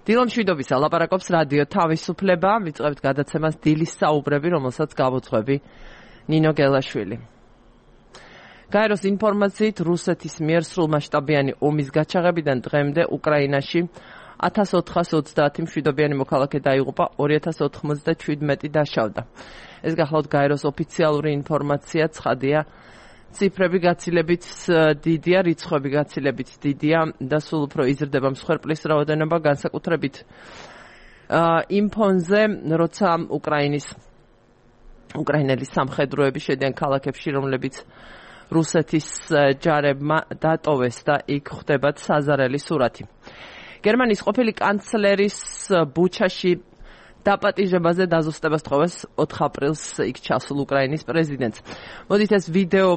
დილა მშვიდობისა, ლაპარაკობს რადიო თავისუფლება, ვიწყებთ გადაცემას დილის საუბრები, რომელსაც გავუძღვები ნინო გელაშვილი. გაეროს ინფორმაციით, რუსეთის მიერ სრულმასშტაბიანი ომის გაჩაღებიდან დღემდე უკრაინაში 1430 მშვიდობიანი მოქალაქე დაიღუპა, 2097 დაშავდა. ეს გახლავთ გაეროს ოფიციალური ინფორმაცია, ცხადია, ციფრები გაცილებით დიდია, რიცხვები გაცილებით დიდია და სულ უფრო იზრდება მსხვერპლის რაოდენობა, განსაკუთრებით იმ ფონზე, როცა უკრაინელის სამხედროები შედიან ქალაქებში, რომლებიც რუსეთის ჯარებმა დატოვეს და იქ ხდებათ საზარელი სურათი. გერმანიის ყოფილი კანცლერის ბუჩაში დაპატიჟებაზე დაზუსტებას თხოვეს 4 აპრილს იქ ჩასულ უკრაინის პრეზიდენტს. მოდით ეს ვიდეო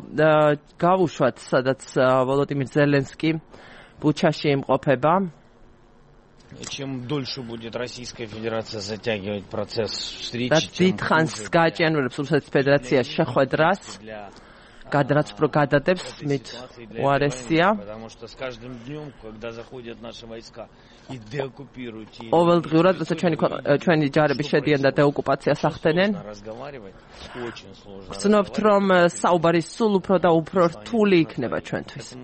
გავუშვათ, სადაც ვოლოდიმირ ზელენსკი ბუჩაში იმყოფება. Чем дольше будет Российская Федерация затягивать процесс встречи, და დიდხანს გააჭიანურებს რუსეთის ფედერაციაში შეხვედრას, გადაც უფრო გადადებს მით უარესია. ყოველდღიურად, როცა ჩვენი ჯარები შედიან და დეოკუპაციას ახდენენ, ვცნობთ, რომ საუბარი სულ უფრო და უფრო რთული იქნება ჩვენთვის.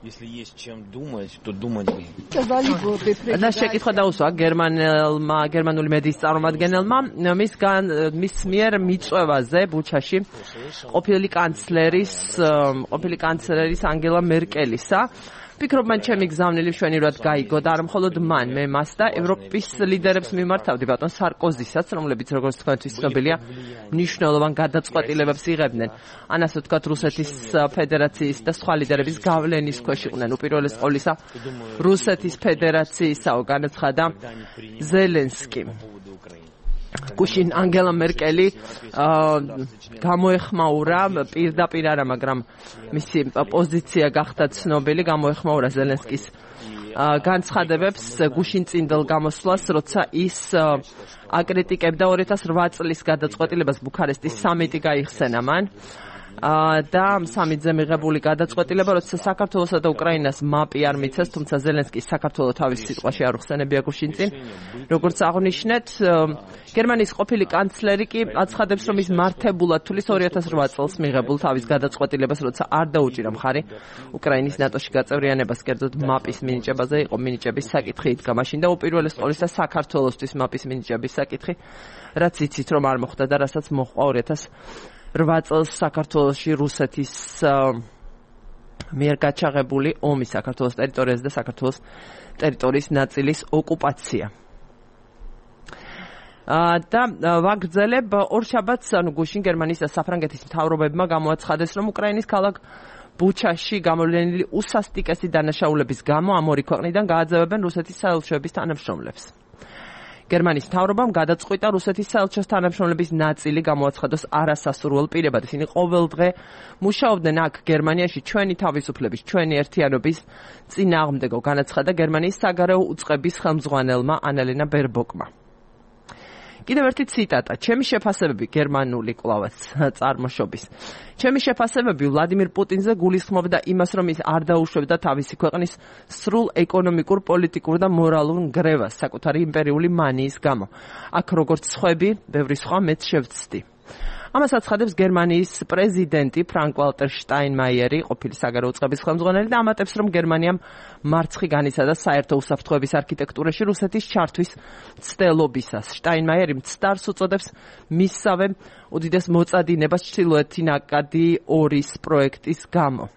Если есть чем думать, то думать бы. და შეკითხვა დაუსვა გერმანული მედიის წარმომადგენელმა მის მიერ მიწვევაზე ბუჩაში ყოფილი კანცლერის ანგელა მერკელისა. ვფიქრობ, მან ჩემი გზავნილი მშვენივრად გაიგო და არა მხოლოდ მან, მე მას და ევროპის ლიდერებს მიმართავდი, ბატონ სარკოზისაც, რომლებიც როგორც თქვენთვის ცნობილია, მნიშვნელოვან გადაწყვეტილებებს იღებდნენ. ან ასე ვთქვათ, რუსეთის ფედერაციის და სხვა ლიდერების გავლენის ქვეშ იყვნენ. უპირველეს ყოვლისა, რუსეთის ფედერაციისაო, განაცხადა ზელენსკი. გუშინ ანგელა მერკელი გამოეხმაურა პირდაპირ არა, მაგრამ მისი პოზიცია გახდა ცნობილი, გამოეხმაურა ზელენსკის განცხადებებს გუშინ წინდელ გამოსვლას, როცა ის აკრიტიკებდა 2008 წლის გადაწყვეტილებას ბუქარესტის სამიტი გაიხსენა მან. და სამიტზე მიღებული გადაწყვეტილება, როცა საქართველოსა და უკრაინას მაპი არ მიცეს, თუმცა ზელენსკი საქართველოს თავის სიტყვაში არ უხსენებია გუშინ წინ. როგორც აღნიშნეთ, გერმანიის ყოფილი კანცლერი კი აცხადებს, რომ ის მართებულად თulis 2008 წელს მიღებულ თავის გადაწყვეტილებას, როცა არ დაუჭირა მხარი უკრაინის ნატოში გაწევრიანებას, კერძოდ მაპის მინიჭებაზე იყო მინიჭების საკითხი იდგა მაშინ და უპირველეს ყოვლისა საქართველოსთვის მაპის მინიჭების საკითხი, რაც იცით რომ არ მოხდა და რასაც მოჰყვა 2008 წელს საქართველოში რუსეთის მიერ გაჩაღებული ომი, საქართველოს ტერიტორიაზე და საქართველოს ტერიტორიის ნაწილის ოკუპაცია. და ვაგრძელებ ორშაბათს, ანუ გუშინ გერმანიის და საფრანგეთის მთავრობებმა გამოაცხადეს, რომ უკრაინის ქალაქ ბუჩაში გამოვლენილი უსასტიკესი დანაშაულების გამო ამ ორი ქვეყნიდან გააძევებენ რუსეთის საელჩოების თანამშრომლებს. გერმანიის მთავრობამ გადაწყვიტა რუსეთის საელჩოს თანამშრომლების ნაწილი გამოაცხადოს არასასურველ პირებად. ისინი ყოველდღე მუშაობდნენ აქ გერმანიაში ჩვენი თავისუფლების, ჩვენი ერთიანობის წინააღმდეგო, განაცხადა გერმანიის საგარეო უწყების ხელმძღვანელმა ანალენა ბერბოკმა. კიდევ ერთი ციტატა. ჩემი შეფასებები გერმანული კვლავაც წარმოშობის. ჩემი შეფასებები ვლადიმირ პუტინზე გულისხმობდა იმას, რომ ის არ დაუშვებდა თავისი ქვეყნის სრულ ეკონომიკურ, პოლიტიკურ და მორალურ ნგრევას საკუთარი იმპერიული მანიის გამო. აქ როგორც სხვები, ბევრი სხვა მეც შევცდი. ამას აცხადებს გერმანიის პრეზიდენტი ფრანკ-ვალტერ შტაინმაიერი, ყოფილი საგარეო უწყების ხელმძღვანელი და ამატებს, რომ გერმანიამ მარცხი განიცადა საერთო უსაფრთხოების არქიტექტურაში რუსეთის ჩართვის ცდელობისას. შტაინმაიერი მცდარს უწოდებს მისსავე უდიდეს მოწადინებას ჩრდილოეთი ნაკადი 2-ის პროექტის გამო.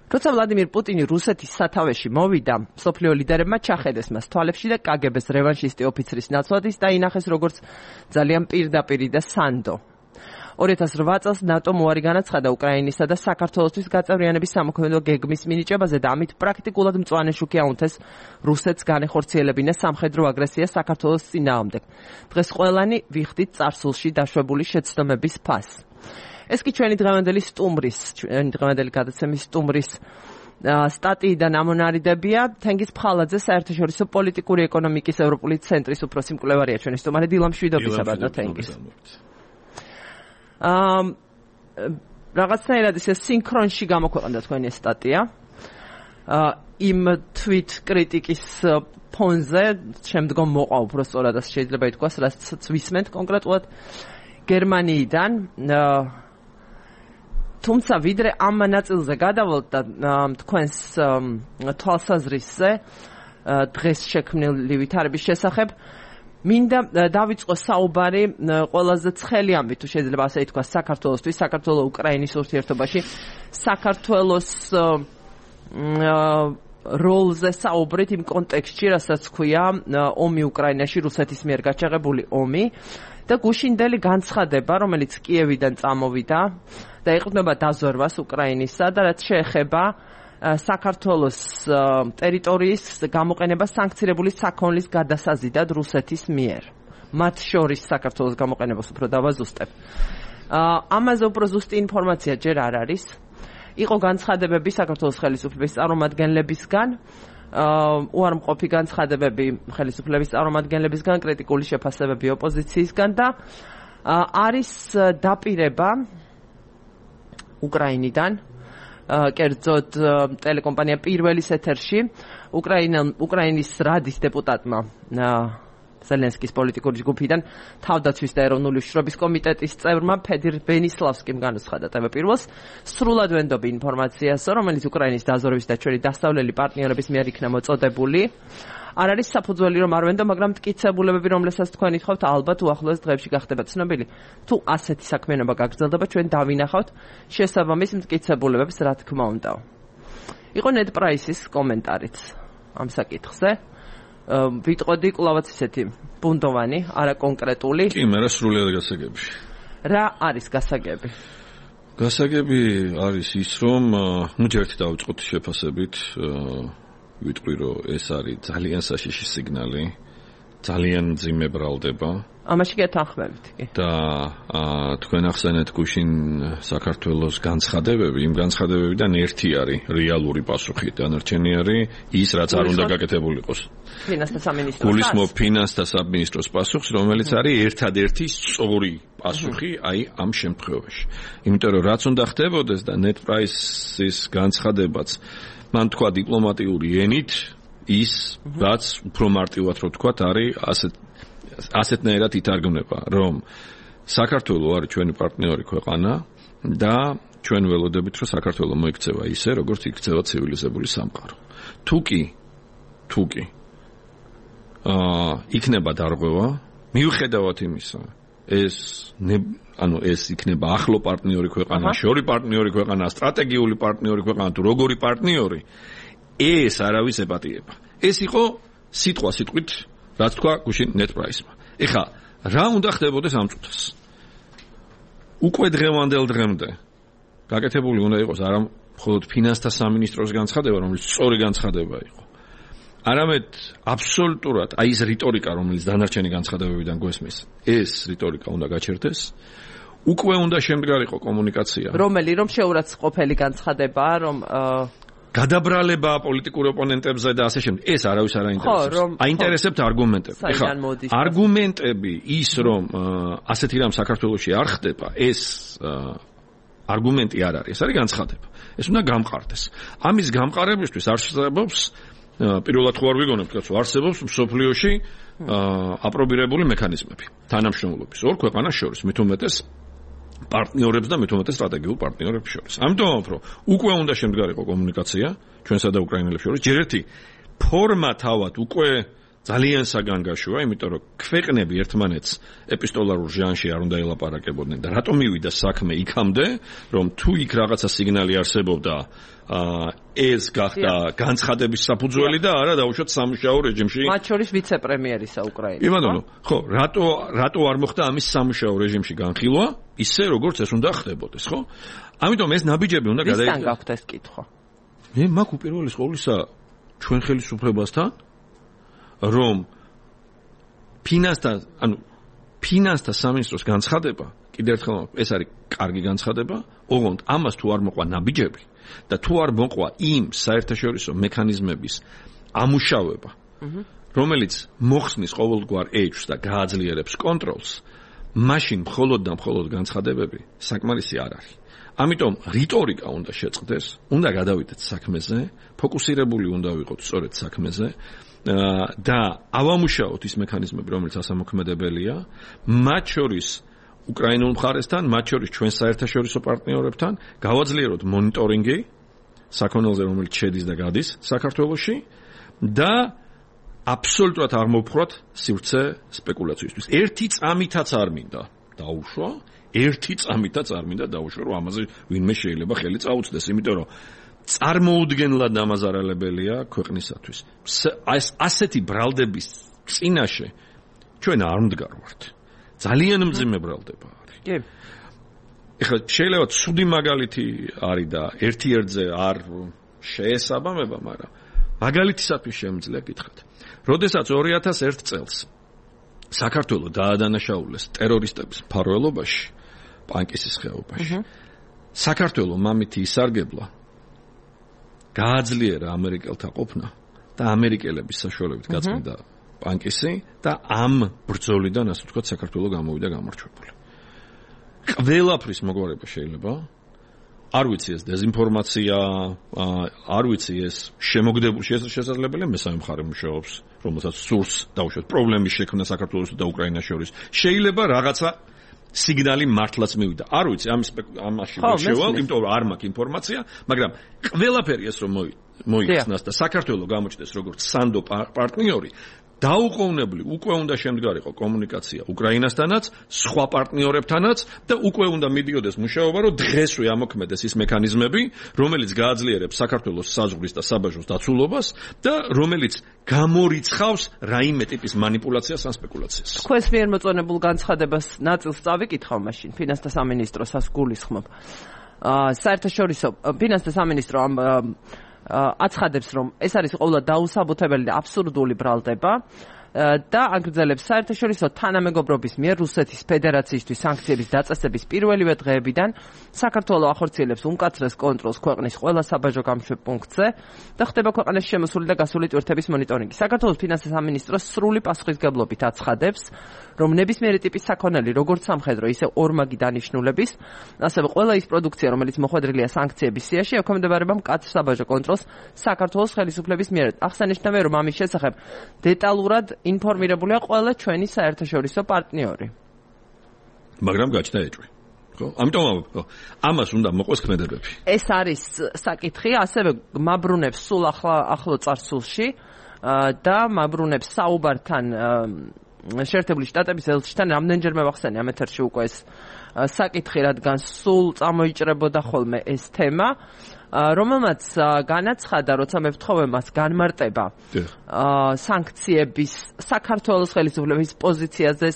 როცა ვლადიმირ პუტინი რუსეთის სათავეში მოვიდა, მსოფლიო ლიდერებმა ჩახედეს მას თვალებში და კგბ-ს რევანშისტი ოფიცრის ნაცვლად ის დაინახეს როგორც ძალიან პირდაპირი და სანდო. 2008 წელს ნატომ უარი განაცხადა უკრაინისა და საქართველოსთვის გაწევრიანების სამოქმედო გეგმის მინიჭებაზე და ამით პრაქტიკულად მწვანე შუქი აუნთეს რუსეთს განეხორციელებინა სამხედრო აგრესია საქართველოს წინააღმდეგ. დღეს ყველანი ვიხდით წარსულში დაშვებული შეცდომების ფასს. ეს კი ჩვენი დღევანდელი გადაცემის სტუმრის სტატიიდან ამონარიდებია. თენგიზ ფხალაძე, საერთაშორისო პოლიტიკური ეკონომიკის ევროპული ცენტრის უფროსი მკვლევარია ჩვენი სტუმარი. დილა მშვიდობისა, ბატონო თენგიზ. რაღაცნაირად ისე სინქრონში გამოქვეყნდა თქვენი სტატია. იმ თვით კრიტიკის ფონზე შემდგომ მოყვა უბრალოდ შეიძლება ითქვას, რაც ვისმენთ კონკრეტულად გერმანიიდან. თუმცა ვიდრე ამ ნაწილზე გადავალთ და თქვენს თვალსაზრისზე დღეს შექმნილი ვითარების შესახებ მინდა დავიწყო საუბარი ყველაზე ცხელი ამბით, თუ შეიძლება ასე ითქვას, საქართველოსთვის, საქართველო-უკრაინის ურთიერთობაში, საქართველოს როლზე საუბრით იმ კონტექსტში, რასაც ქვია ომი უკრაინაში, რუსეთის მიერ გაჩაღებული ომი და გუშინდელი განცხადება, რომელიც კიევიდან წამოვიდა და ეყრდნობა დაზვერვას უკრაინისა და რაც შეეხება საქართველოს ტერიტორიის გამოყენება სანქცირებული საქონლის გადასაზიდად რუსეთის მიერ. მათ შორის საქართველოს გამოყენებას უფრო დავაზუსტებ. ამაზე უფრო ზუსტი ინფორმაცია ჯერ არ არის. იყო განცხადებები საქართველოს ხელისუფლების წარმომადგენლებისგან, უარმყოფი განცხადებები ხელისუფლების წარმომადგენლებისგან, კრიტიკული შეფასებები ოპოზიციისგან და არის დაპირება უკრაინიდან, კერძოდ ტელეკომპანია პირველის ეთერში უკრაინის რადის დეპუტატმა ზელენსკის პოლიტიკური ჯგუფიდან თავდაცვის და ეროვნული უშიშრობის კომიტეტის წევრმა ფედირ ბენისლავსკიმ განუცხადა ტელე-პირველს სრულად ვენდობი ინფორმაციას, რომელიც უკრაინის დაზვერვის და ჩვენი დასავლელი პარტნიორების მიერ იქნა მოწოდებული. არ არის საფუძველი რომ არ ვენდო, მაგრამ მტკიცებულებები, რომლებსაც თქვენ ითხოვთ, ალბათ უახლოეს დღეებში გახდება ცნობილი. თუ ასეთი საქმიანობა გაგრძელდება, ჩვენ დავინახავთ შესაბამის მტკიცებულებებს, რა თქმა უნდა. იყო ნედ პრაისის კომენტარიც ამ საკითხზე. ვიტყოდი კვლავაც ისეთი ბუნდოვანი, არა კონკრეტული. კი, მე რა სრულიად გასაგები. რა არის გასაგები? გასაგები არის ის, რომ ერთი დავიწყოთ შეფასებით, ვიტყვი, რომ ეს არის ძალიან საშიში სიგნალი, ძალიან მძიმე ბრალდება. ამაში გეთანხმებით კი. და თქვენ ახსენეთ გუშინ საქართველოს განცხადებები, იმ განცხადებებიდან ერთი არის რეალური პასუხი, დანარჩენი არის ის, რაც არ უნდა გაკეთებულიყოს. ფინანსთა სამინისტროს. გულისხმობ ფინანსთა სამინისტროს პასუხს, რომელიც არის ერთადერთი სწორი პასუხი აი ამ შემთხვევაში. იმიტომ რომ რაც უნდა ხდებოდეს და net price-ის განცხადებაც მან თქვა დიპლომატიური ენით ის, რაც უფრო მარტივად რო თქვათ, არის ასეთნაირად ითარგმნება, რომ საქართველო არის ჩვენი პარტნიორი ქვეყანა და ჩვენ ველოდებით, რომ საქართველო მოიქცევა ისე, როგორც იქცევა ცივილიზებული სამყარო. თუ კი იქნება დარღვევა, მიუხედავად იმისა, ეს იქნება ახლო პარტნიორი ქვეყანა, შორი პარტნიორი ქვეყანა, სტრატეგიული პარტნიორი ქვეყანა, თუ როგორი პარტნიორი, ეს არავის ეპატიება. ეს იყო სიტყვით რაც თქვა გუშინ net price-მა. ეხლა რა უნდა ხდებოდეს ამ წუთას? უკვე დღევანდელ დღემდე გაკეთებული უნდა იყოს არა მხოლოდ ფინანსთა სამინისტროს განცხადება, რომელიც სწორი განცხადება იყო. არამედ აბსოლუტურად აი ეს რიტორიკა, რომელიც დანარჩენი განცხადებებიდან გვესმის, ეს რიტორიკა უნდა გაჩერდეს. უკვე უნდა შემდგარიყო კომუნიკაცია. რომ შეურაცხყოფელი განცხადებაა, რომ გადაბრალება პოლიტიკურ ოპონენტებზე და ასე შემდეგ. ეს არავის არ აინტერესებს. აინტერესებთ არგუმენტები. ეხლა არგუმენტები ის რომ ასეთი რამ საქართველოში არ ხდება, ეს არგუმენტი არ არის. ეს არის განცხადება. ეს უნდა გამყარდეს. ამის გამყარებისთვის არსებობს პირველად ხო არ ვიგონებთ, კაცო, არსებობს მსოფლიოში აპრობირებული მექანიზმები თანამშრომლობის ორ ქვეყანას შორის, მით უმეტეს პარტნიორებს და მით უმეტეს სტრატეგიულ პარტნიორებს შორის. ამიტომ უფრო უკვე უნდა შემდგარიყო კომუნიკაცია ჩვენსა და უკრაინელებს შორის. ჯერ ერთი ფორმა თავად უკვე ძალიან საგანგაშოა, იმიტომ რომ ქვეყნები ერთმანეთს ეპისტოლარულ ჟანრში არ უნდა ელაპარაკებოდნენ და რატომ მივიდა საქმე იქამდე, რომ თუ იქ რაღაცა სიგნალი არსებობდა, ეს გახდა განცხადების საფუძველი და არა დაუშვათ სამუშაო რეჟიმში. მათ შორის ვიცე-პრემიერისა უკრაინის. ივანოვო, ხო, რატო არ მოხდა ამის სამუშაო რეჟიმში განხილვა, ისე როგორც ეს უნდა ხდებოდეს, ხო? ამიტომ ეს ნაბიჯები უნდა გადაიწყოს. ვისთან გაქვთ ეს კითხვა? მე მაქვს უპირველეს ყოვლისა ჩვენ ხელისუფლებასთან, რომ ფინანსთა სამინისტროს განცხადება, კიდევ ერთხელ ეს არის კარგი განცხადება, ოღონდ ამას თუ არ მოყვა ნაბიჯები და თუ არ მოყვა იმ საერთაშორისო მექანიზმების ამუშავება, რომელიც მოხსნის ყოველგვარ ეჭვს და გააძლიერებს კონტროლს, მაშინ მხოლოდ და მხოლოდ განცხადებები საკმარისი არ არის. ამიტომ რიტორიკა უნდა შეწყდეს, უნდა გადავიდეთ საქმეზე, ფოკუსირებული უნდა ვიყოთ სწორედ საქმეზე და ავამუშაოთ ის მექანიზმები, რომელიც ასამოქმედებელია, მათ შორის უკრაინულ მხარესთან, მათ შორის ჩვენ საერთაშორისო პარტნიორებთან, გავაძლიეროთ მონიტორინგი საქონელზე, რომელიც შედის და გადის საქართველოში და აბსოლუტურად არ მოვფრათ სივრცე სპეკულაციისთვის. ერთი წამითაც არ მინდა დაუშვა, რომ ამაზე ვინმე შეიძლება ხელი წაუწდეს, იმიტომ რომ წარმოუდგენლად დამაზარალებელია ქვეყნისათვის. ასეთი ბრალდების წინაშე ჩვენ არ მდგარვართ. ძალიან მძიმე ბრალდება არის. კი. ეხლა შეიძლება ცუდი მაგალითი არის და ერთ-ერთზე არ შეესაბამება, მაგრამ მაგალითისათვის შემიძლია გითხრათ. როდესაც 2001 წელს საქართველო დაადანაშაულეს ტერორისტების მფარველობაში, პანკისის ხეობაში. საქართველო მამითი ისარგებლა, გააძლიერა ამერიკელთა ყოფნა და ამერიკელების საშუალებით გაწმიდა პანკისი და ამ ბრძოლიდან, ასე ვთქვათ, საქართველო გამოვიდა გამარჯვებული. ყველაფრის მოგვარება შეიძლება. არ ვიცი ეს დეзинფორმაცია, არ ვიცი ეს შემოგდებული შესაძლებელია მესამე მხარე მუშაობს, რომელსაც სურს დაუშვათ პრობლემის შექმნა საქართველოს და უკრაინას შორის. შეიძლება რაღაცა სიგნალი მართლაც მივიდა. არ ვიცი ამაში ვერ შევალ, იმიტომ რომ არ მაქვს ინფორმაცია, მაგრამ ყველაფერი ეს რომ მოიხსნას და საქართველოს გამოჩნდეს როგორც სანდო პარტნიორი, დაუყოვნებლი უკვე უნდა შემდგარიყო კომუნიკაცია უკრაინასთანაც, სხვა პარტნიორებთანაც და უკვე უნდა მიდიოდეს მუშაობა, რომ დღესვე ამოქმედეს ის მექანიზმები, რომელიც გააძლიერებს საქართველოს საზღვრის და საბაჟოს დაცულობას და რომელიც გამორიცხავს რაიმე ტიპის მანიპულაციას ან სპეკულაციას. თქვენს მიერ მოწონებულ განცხადებას ნაწილს წავიკითხავ მაშინ, ფინანსთა სამინისტროსაც გულისხმობ. საერთაშორისო ფინანსთა სამინისტრო აცხადებს, რომ ეს არის ყოველად დაუსაბუთებელი და აბსურდული ბრალდება და აგრძელებს საერთაშორისო თანამეგობრობის მიერ რუსეთის ფედერაციისთვის სანქციების დაწესების პირველივე დღეებიდან საქართველოს ახორციელებს უმკაცრეს კონტროლს ქვეყნის ყველა საბაჟო გამშვებ პუნქტზე და ხდება ქვეყანაში შემოსული და გასული ტვირთების მონიტორინგი. საქართველოს ფინანსთა სამინისტრო სრული პასუხისგებლობით აცხადებს, რომ ნებისმიერი ტიპის საქონელი, როგორც სამხედრო, ისე ორმაგი დანიშნულების, ასევე ყველა ის პროდუქცია, რომელიც მოხვედრილია სანქციების სიაში, ექვემდებარება მკაცრ საბაჟო კონტროლს საქართველოს ხელისუფლების მიერ. აღსანიშნავია, რომ ამის შესახებ დეტალურად ინფორმირებულია ყველა ჩვენი საერთაშორისო პარტნიორი. მაგრამ გაჩნდა ეჭვი. ხო? ამიტომ ამას უნდა მოყოს ქმედებები. ეს არის საკითხი, ასევე მაბრუნებს სულ ახლო წარსულში და მაბრუნებს საუბართან შეერთებული შტატების ელჩთან რამდენჯერმე ვახსენე ამ ეთერში უკვე ეს საკითხი, რადგან სულ წამოიჭრებოდა ხოლმე ეს თემა, რომელმაც განაცხადა, როცა მე ვთხოვე მას განმარტება სანქციების საქართველოს ხელისუფლების პოზიციაზე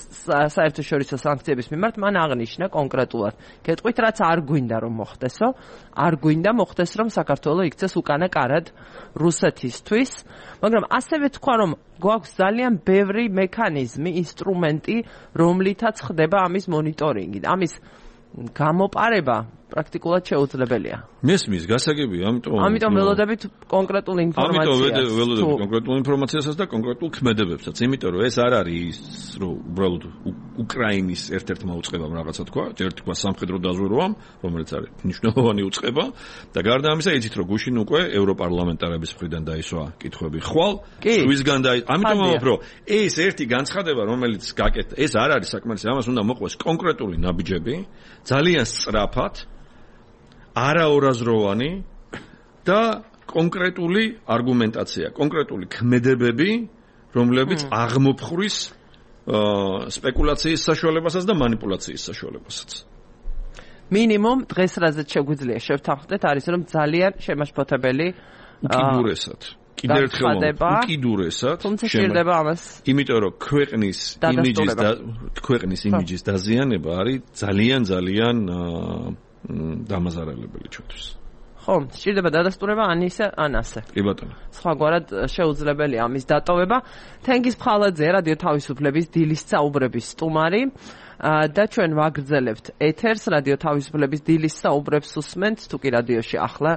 საერთაშორისო სანქციების მიმართ, მან აღნიშნა კონკრეტულად გეტყვით, რაც არ გვინდა რომ მოხდესო, არ გვინდა მოხდეს, რომ საქართველო იქცეს უკანა კარად რუსეთისთვის, მაგრამ ასევე თქვა, რომ გვაქვს ძალიან ბევრი მექანიზმი, ინსტრუმენტი, რომლითაც ხდება ამის მონიტორინგი. ამის გამოპარება პრაქტიკულად შეუძლებელია. მესმის გასაგებია, ამიტომ ველოდებით კონკრეტულ ინფორმაციას. ველოდებით კონკრეტულ ინფორმაციასაც და კონკრეტულ ქმედებებსაც, იმიტომ რომ ეს არ არის რომ უბრალოდ უკრაინის ერთ-ერთმა უწყებამ რაღაცა თქვა, ერთი თქვა სამხედრო დაზვერვამ, რომელიც არის მნიშვნელოვანი უწყება და გარდა ამისა იცით რომ გუშინ უკვე ევროპარლამენტარების მხრიდან დაისვა კითხვები ხვალ, სვისგან და ამიტომ რომ ეს ერთი განცხადება, რომელიც გაკეთდა, ეს არ არის საკმარისი, ამას უნდა მოყვეს კონკრეტული ნაბიჯები, ძალიან სწრაფად არაორაზროვანი და კონკრეტული არგუმენტაცია, კონკრეტული ქმედებები, რომლებიც აღმოფხვის სპეკულაციის საშუალებასაც და მანიპულაციის საშუალებასაც. მინიმუმ დღეს რაზეც შეგვიძლია შევთანხმდეთ არის, რომ ძალიან შემაშფოთებელი უკიდურესად. კიდევ ერთხელ უკიდურესად შეიძლება ამას. იმიტომ რომ ქვეყნის იმიჯის დაზიანება არის ძალიან დამაზარალებელი ჩვენთვის. ხო, სჭირდება დადასტურება ან ისე, ან ასე. კი ბატონო. სხვაგვარად შეუძლებელია ამის დატოვება. თენგიზ ფხალაძე, რადიო თავისუფლების დილის საუბრების სტუმარი და ჩვენ ვაგრძელებთ ეთერს, რადიო თავისუფლების დილის საუბრებს უსმენთ, თუ კი რადიოში ახლა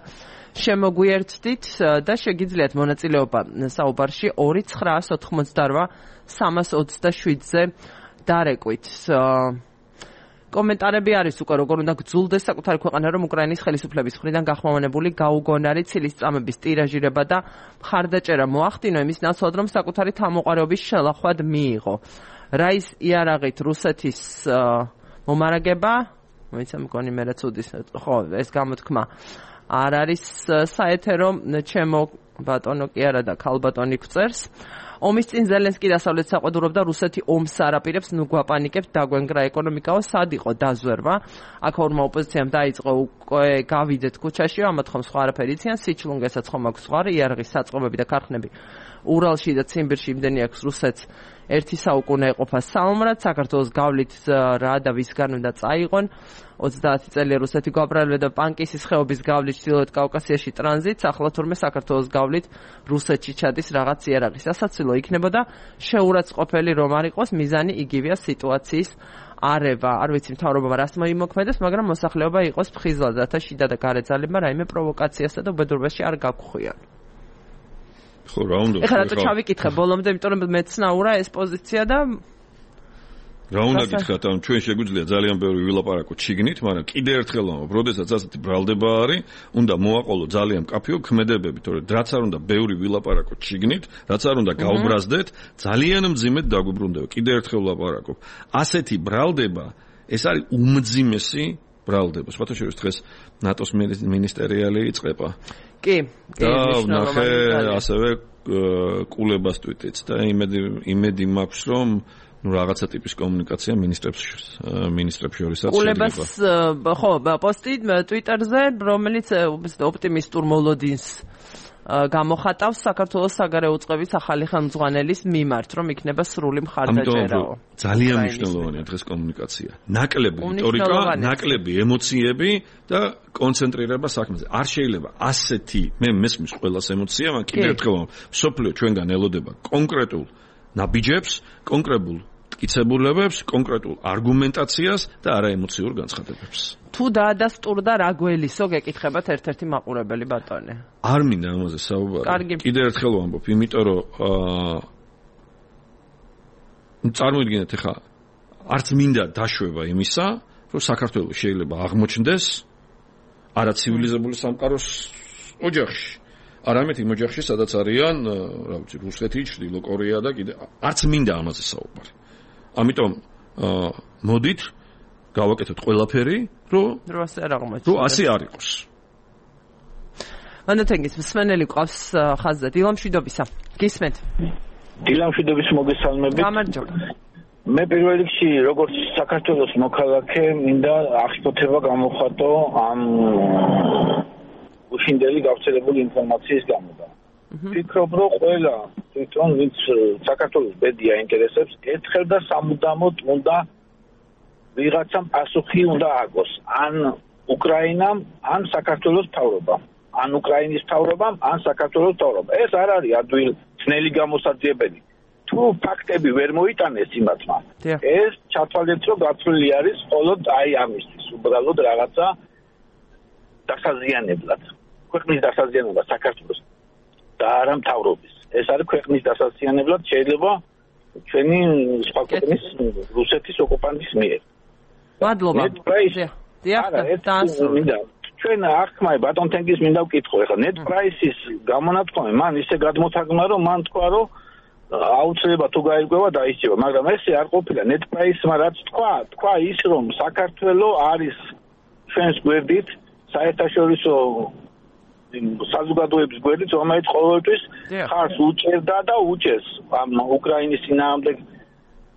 შემოგვიერთდით და შეგიძლიათ მონაწილეობა საუბარში 2988 327-ზე დარეკვით. კომენტარები არის უკვე როგორ უნდა გძულდეს საკუთარი ქვეყანა რომ უკრაინის ხელისუფლების მხრიდან გახმოვანებული გაუგონარი ცილის წამების ტირაჟირება და მხარდაჭერა მოახდინო იმის ნაცვლად რომ საკუთარი თავმოყარეობის შელახვად მიიღო. რაის იარაღით რუსეთის მომარაგება, მოიცა მგონი მე რაც უდის, ხო, ეს გამოთქმა არ არის საეთერო, ჩემო ბატონო კი არა და ქალბატონი გვწერს. ომის წინ ზელენსკი დასავლეთ საყვედურობდა რუსეთი ომს არაპირებს, ნუ გვაპანიკებთ, დაგვენგრა ეკონომიკაო, სად იყო დაზვერვა. აქ ორმა ოპოზიციამ დაიწყო უკვე გავიდეთ ქუჩაში, ამათ ხომ სხვა არაფერი იციან, სიჩლუნგესაც ხომ აქვს სხვა იარაღის საწყობები და ქარხნები. ურალში და ციმბირში იმდენი აქვს რუსეთს ერთი საუკუნე ეყოფა საომრად, საქართველოს გავლით რა და ვისგან უნდა წაიღონ. 30 წელია რუსეთი გვაბრალება და პანკისის ხეობის გავლით ჩრდილოეთ კავკასიაში ტრანზიტს, ახლა თურმე საქართველოს გავლით რუსეთში ჩადის რაღაც იარაღის. სასაცილო იქნებოდა შეურაცხყოფელი რომ არ იყოს, მიზანი იგივეა სიტუაციის არევა. არ ვიცი მთავრობამ რას მოიმოქმედებს, მაგრამ მოსახლეობა იყოს ფხიზლად, რათა შიდა და გარე ძალებმა რაიმე პროვოკაციასა და უბედურებაში არ გაგხვიონ. ხო, რა უნდა? ეხლა რატო ჩავიკითხე ბოლომდე, იმიტომ რომ მეცნაურა ეს პოზიცია და რა უნდა გითხრათ, ამ ჩვენ შეგვიძლია ძალიან ბევრი ვილაპარაკოთ შიგნით, მაგრამ კიდე ერთხელ ვამბობ, როდესაც ასეთი ბრალდება არის, უნდა მოაყოლო ძალიან მკაფიო ქმედებები, თორე რაც არ უნდა ბევრი ვილაპარაკოთ შიგნით, რაც არ უნდა გავბრაზდეთ, ძალიან მძიმედ დაგვიბრუნდება. კიდე ერთხელ ვლაპარაკობ. ასეთი ბრალდება, ეს არის უმძიმესი ბრალდება. სხვათა შორის დღეს ნატოს მინისტერიალი იწყება. კი, ნახე ასევე კულებას ტვიტიც და იმედი მაქვს, რომ რაღაცა ტიპის კომუნიკაცია მინისტრებს შორისაც კულებას ხო პოსტი ტვიტერზე, რომელიც ოპტიმისტურ მოლოდინს გამოხატავს საქართველოს საგარეო უწყების ახალი ხელმძღვანელის მიმართ, რომ იქნება სრული მხარდაჭერაო. ძალიან მნიშვნელოვანია დღეს კომუნიკაცია. ნაკლები რიტორიკა, ნაკლები ემოციები და კონცენტრირება საქმეზე. არ შეიძლება ასეთი მე მესმის ყველას ემოცია, მაგრამ კიდევ ერთხელ მსოფლიო ჩვენგან ელოდება კონკრეტულ ნაბიჯებს, კონკრეტულ მტკიცებულებებს, კონკრეტულ არგუმენტაციას და არა ემოციურ განცხადებებს. თუ დაადასტურდა რა გველისო, გეკითხებათ ერთ-ერთი მაყურებელი ბატონი. არ მინდა ამაზე საუბარი. კიდევ ერთხელ ვამბობ, იმიტომ რომ წარმოიდგინეთ ახლა არც მინდა დაშვება იმისა, რომ საქართველოს შეიძლება აღმოჩნდეს არა ცივილიზებული სამყაროს ოჯახში. არამედ იმ ოჯახში, სადაც არიან, რა ვიცი, რუსეთი, ჩრდილო კორეა და კიდე არც მინდა ამაზე საუბარი. ამიტომ მოდით გავაკეთოთ ყველაფერი, რომ ასე არ იყოს. ანათენგის მსმენელი ყავს ხაზზე. დილამშვიდობისა. გისმენთ. დილამშვიდობის მოგესალმებით. გამარჯობა. მე პირველ რიგში როგორც საქართველოს მოქალაქე მინდა აღშფოთება გამოხატო ამ უშინდელი გავრცელებული ინფორმაციის გამო. ვფიქრობ, რომ ყველა თვითონ ვინც საქართველოს ბედია ინტერესებს, ერთხელ და სამუდამოდ უნდა ვიღაცამ პასუხი უნდა აგოს. ან უკრაინამ, ან საქართველოს მთავრობამ. ან უკრაინის მთავრობამ, ან საქართველოს მთავრობამ. ეს არ არის ადვილ ძნელი გამოსაძიებელი. თუ ფაქტები ვერ მოიტანეს იმათმა, ეს ჩათვალეთ, რომ გაცვლილი არის მხოლოდ აი ამისთვის, უბრალოდ რაღაცა დასაზიანებლად. ქვეყნის დასაზიანებლად საქართველოს და არა მთავრობის. ეს არის ქვეყნის დასაზიანებლად შეიძლება ჩვენი სხვა ქვეყნის რუსეთის ოკუპანტის მიერ. მადლობა. ჩვენ ახმაი ბატონ თენგის მინდა ვკითხო, ეხლა net price-ის გამონათქვამი მან ისე გადმოთაგმა, რომ მან თქვა, რომ აუცილებლად თუ გაირკვევა დაისწრება, მაგრამ ესე არ ყოფილა net price-მა რაც თქვა ის, რომ საქართველოს არის ჩვენს გვერდით საერთაშორისო საზოგადოების გვერდით, რომელიც ყოველთვის ხარს უჭერდა და უჭერს ამ უკრაინის წინააღმდეგ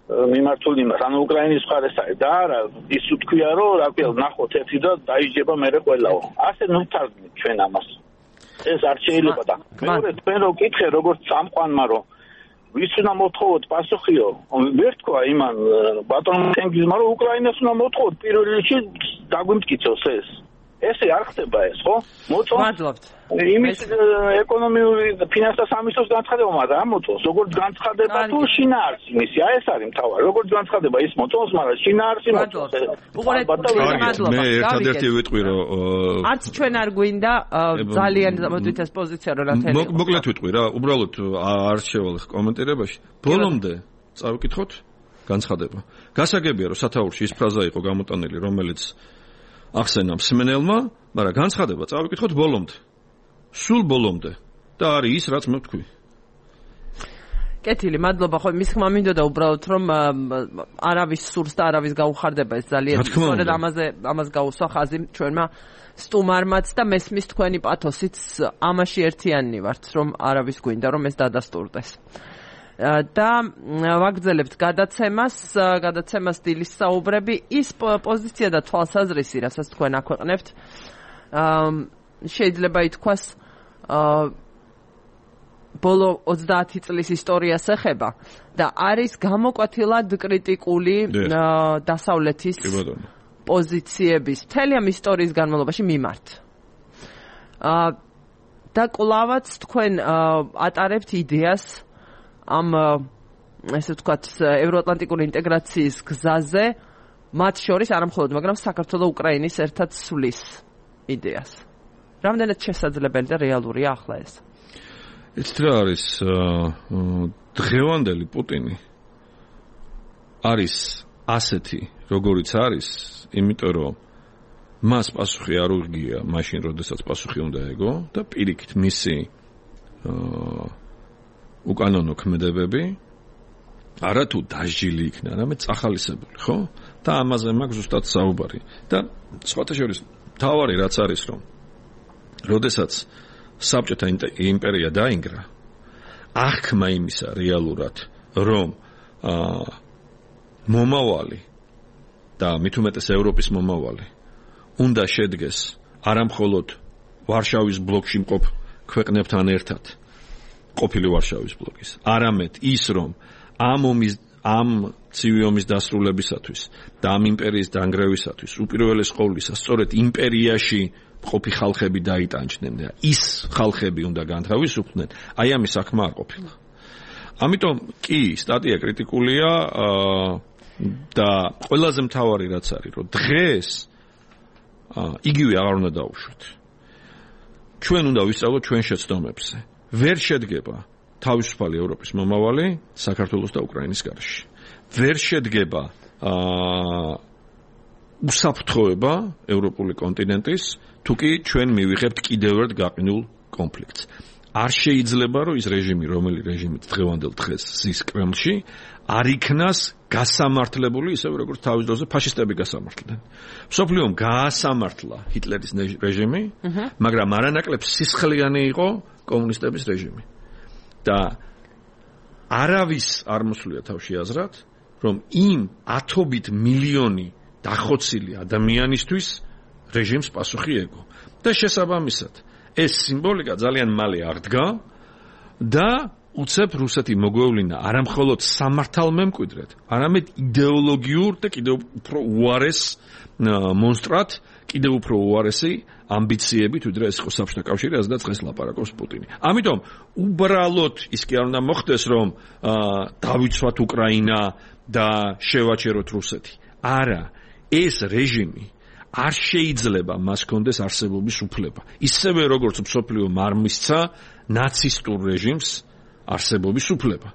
მიმართულ იმას, ანუ უკრაინის მხარეს არის და არა ის უთქვია, რომ რა ქვია, ნახოთ ერთი და დაიჯება მერე ყველაო. ასე ნუთარგმნით ჩვენ ამას. ეს არ შეიძლება და მეორე თქვენ რო კითხე, როგორც წამყვანმა, რომ ვის უნდა მოთხოვოთ პასუხიო, ვერ თქვა იმან ბატონ თენგიზმა, რომ უკრაინას უნდა მოთხოვოთ პირველ რიგში დაგვიმტკიცოს ეს. ესე არ ხდება ეს, ხო? მადლობთ. იმის ეკონომიური ფინანსთა სამინისტროს განცხადება, მაგრამ არ მოწონს. როგორც განცხადება თუ შინაარსი მისი, ეს არის მთავარი. როგორც განცხადება ის მოწონს, მაგრამ შინაარსი მოწონს. მე ერთადერთი ვიტყვი, რომ არც ჩვენ არ გვინდა ძალიან მოდით ეს პოზიცია რომ ნათელი. მოკლედ ვიტყვი რა, უბრალოდ არ შევალ კომენტირებაში. ბოლომდე წავიკითხოთ განცხადება. გასაგებია, რომ სათაურში ის ფრაზა იყო გამოტანილი, რომელიც ახსენა მსმენელმა, მაგრამ განცხადება წავიკითხოთ ბოლომდე. სულ ბოლომდე და არის ის, რაც მე ვთქვი. კეთილი, მადლობა. ხო, მის ხმა მინდოდა უბრალოდ რომ არავის სურს და არავის გაუხარდება ეს ძალიან. სწორედ ამას გაუსვა ხაზი ჩვენმა სტუმარმაც და მესმის თქვენი პათოსიც ამაში ერთიანი ვართ, რომ არავის გვინდა რომ ეს დადასტურდეს. და ვაგრძელებთ გადაცემას დილის საუბრები, ის პოზიცია და თვალსაზრისი, რასაც თქვენ აქვეყნებთ, შეიძლება ითქვას ბოლო 30 წლის ისტორიას ეხება და არის გამოკვეთილად კრიტიკული დასავლეთის პოზიციების მთელი ამ ისტორიის განმავლობაში მიმართ. და კვლავაც თქვენ ატარებთ იდეას ამ ესე ვთქვათ ევროატლანტიკური ინტეგრაციის გზაზე, მათ შორის არა მხოლოდ, მაგრამ საქართველოს უკრაინის ერთად სვლის იდეას. რამდენად შესაძლებელი და რეალურია ახლა ეს? იცით რა არის დღევანდელი პუტინი არის ასეთი, როგორიც არის, იმიტომ რომ მას პასუხი არ უღია მაშინ, როდესაც პასუხი უნდა ეგო და პირიქით მისი უკანონო ქმედებები არათუ დასჯილი იქნა, არამედ წახალისებული, ხო? და ამაზე მაქვს ზუსტად საუბარი. და სხვათა შორის თავარი რაც არის, რომ როდესაც საბჭოთა იმპერია დაინგრა, აღქმა იმისა რეალურად, რომ მომავალი და მით უმეტეს ევროპის მომავალი უნდა შედგეს არამხოლოდ ვარშავის ბლოკში მყოფ ქვეყნებთან ერთად, ყოფილი ვარშავის ბლოკის, არამედ ის, რომ ამ ცივი ომის დასრულებისათვის და ამ იმპერიის დანგრევისათვის უპირველეს ყოვლისა სწორედ იმპერიაში ყოფი ხალხები დაიტანჯდნენ და ის ხალხები უნდა განთავისუფლდნენ, აი ამის საქმე არ ყოფილა. ამიტომ კი სტატია კრიტიკულია და ყველაზე მთავარი რაც არის, რომ დღეს იგივე აღარ უნდა დაუშვათ. ჩვენ უნდა ვისწავლოთ ჩვენ შეცდომებზე. ვერ შედგება თავისუფალი ევროპის მომავალი საქართველოს და უკრაინის გარშე. ვერ შედგება უსაფრთხოება ევროპული კონტინენტის, თუ კი ჩვენ მივიღებთ კიდევ ერთ გაყინულ კონფლიქტს. არ შეიძლება, რომ ის რეჟიმი, რომელი რეჟიმით დღევანდელ დღეს ზის კრემლში, არ იქნას გასამართლებული, ისევე როგორც თავის დროზე ფაშისტები გასამართლდნენ. მსოფლიომ გაასამართლა ჰიტლერის რეჟიმი, მაგრამ არანაკლებ სისხლიანი იყო კომუნისტების რეჟიმი. და არავის არ მოსვლია თავში აზრად, რომ იმ ათობით მილიონი დახოცილი ადამიანისთვის რეჟიმს პასუხი ეგო. და შესაბამისად, ეს სიმბოლიკა ძალიან მალე აღდგა და უცებ რუსეთი მოგვევლინა არამხოლოდ სამართალმემკვიდრედ, არამედ იდეოლოგიურ და კიდევ უფრო უარეს მონსტრად, კიდევ უფრო უარესი ამბიციებით, ვიდრე ეს იყო საბჭოთა კავშირი, რაზედაც დღეს ლაპარაკობს პუტინი. ამიტომ უბრალოდ ის კი არ უნდა მოხდეს, რომ დავიცვათ უკრაინა და შევაჩეროთ რუსეთი. არა, ეს რეჟიმი არ შეიძლება მას კონდეს არსებობის უფლება. ისევე როგორც მსოფლიო არ მისცა ნაცისტურ რეჟიმს არსებობის უფლება.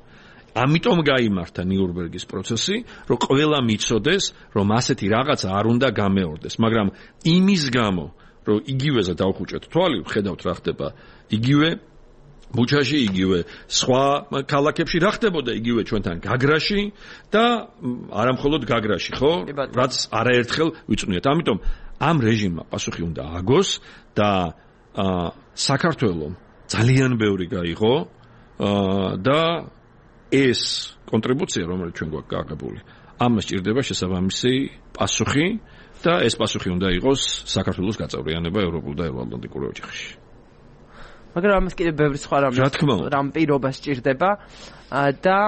ამიტომ გაიმართა ნიურნბერგის პროცესი, რომ ყველა მიცოდეს, რომ ასეთი რაღაცა არ უნდა გამეორდეს, მაგრამ იმის გამო, რომ იგივეზე დავხუჭეთ თვალი, ხედავთ რა ხდება იგივე ბუჩაში, იგივე სხვა ქალაქებში რა ხდებოდა იგივე ჩვენთან გაგრაში და არამხოლოდ გაგრაში, ხო? რაც არაერთხელ ვიწვნიეთ. ამიტომ ამ რეჟიმმა პასუხი უნდა ააგოს და საქართველოს ძალიან ბევრი გაიღო და ეს კონტრიბუცია, რომელიც ჩვენ გვაქვს გააღებული, ამას ჭირდება შესაბამისი პასუხი და ეს პასუხი უნდა იყოს საქართველოს გაწევრიანება ევროპულ და ევროატლანტიკურ ოჯახში. მაგრამ ამას კიდევ ბევრი სხვა რამ პირობა სჭირდება და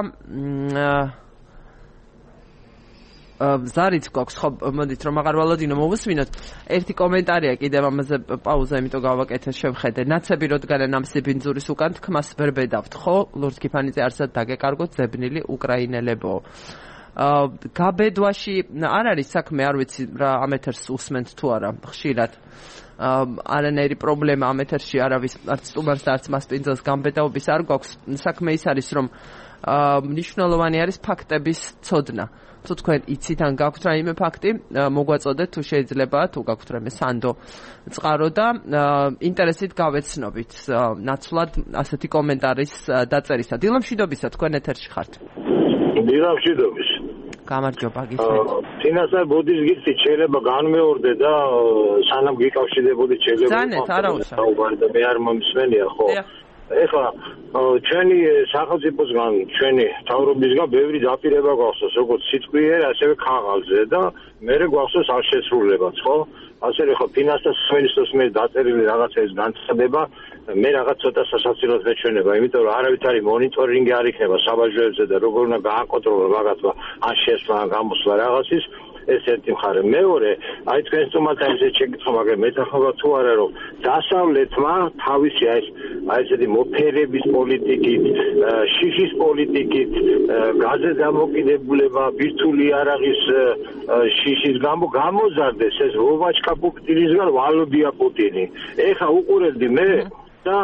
ზარით გვაქვს, ხო, მოდით რომ აღარ ვალოდინო მოვუსმინოთ. ერთი კომენტარია კიდევ ამაზე პაუზა, იმიტომ გავაკეთე შევხედე. ნაცები როდგანა ამ სიბინძურის უკან თქმას ვერ ბედავთ, ხო? ლურჯ კიფანიძე არსად დაგეკარგოთ ზებნილი უკრაინელებო. გაბედვაში არ არის საქმე, არ ვიცი რა ამ ეთერს უსმენთ თუ არა, ხშირად. არანაირი პრობლემა ამ ეთერში არავის არც სტუმარს და არც მასპინძელს გამბედაობის არ გვაქვს. საქმე ის არის, რომ მნიშვნელოვანი არის ფაქტების ცოდნა. თუ თქვენ იცით ან გაქვთ რაიმე ფაქტი, მოგვაწოდეთ თუ შეიძლება, თუ გაქვთ რაიმე სანდო წყარო და ინტერესით გავეცნობით ნაცვლად ასეთი კომენტარის დაწერისა. დილამშვიდობისა, თქვენ ეთერში ხართ. დილამშვიდობის. გამარჯობა, გისმენთ. წინასწარ ბოდის გიხდით, შეიძლება განმეორდე და სანამ გიკავშირდებოდი შეიძლება. ზანეთ, არა უსა. და მე არ მომსმენია, ხო? ეხლა ჩვენი სახელმწიფოსგან, ჩვენი მთავრობისგან ბევრი დაპირება გვახსოვს, როგორც სიტყვიერ, ასევე ქაღალდზე და მე გვახსოვს არ შესრულებაც, ხო? ასე ხო ფინანსთა სამინისტროს მე დაწერილი რაღაცების განცხადება, მე რაღაც ცოტა სასაცილოდ მეჩვენება, იმიტომ რომ არავითარი მონიტორინგი არ იქნება საბაჟოებზე და როგორ უნდა გააკონტროლოს რაღაცა, ან შესვლა, ან გამოსვლა რაღაცის. ეს ერთი მხარე. მეორე, აი თქვენ სტუმართან ისე შეკითხვა, მაგრამ მეთანხმება თუ არა, რომ დასავლეთმა თავისი აი ესეთი მოფერების პოლიტიკით, შიშის პოლიტიკით, გაზზე დამოკიდებულება, ბირთვული არაღის შიშის გამო გამოზარდეს ეს ვოვაჩკა პუტინისგან ვალოდია პუტინი. ეხა უყურებდი მე და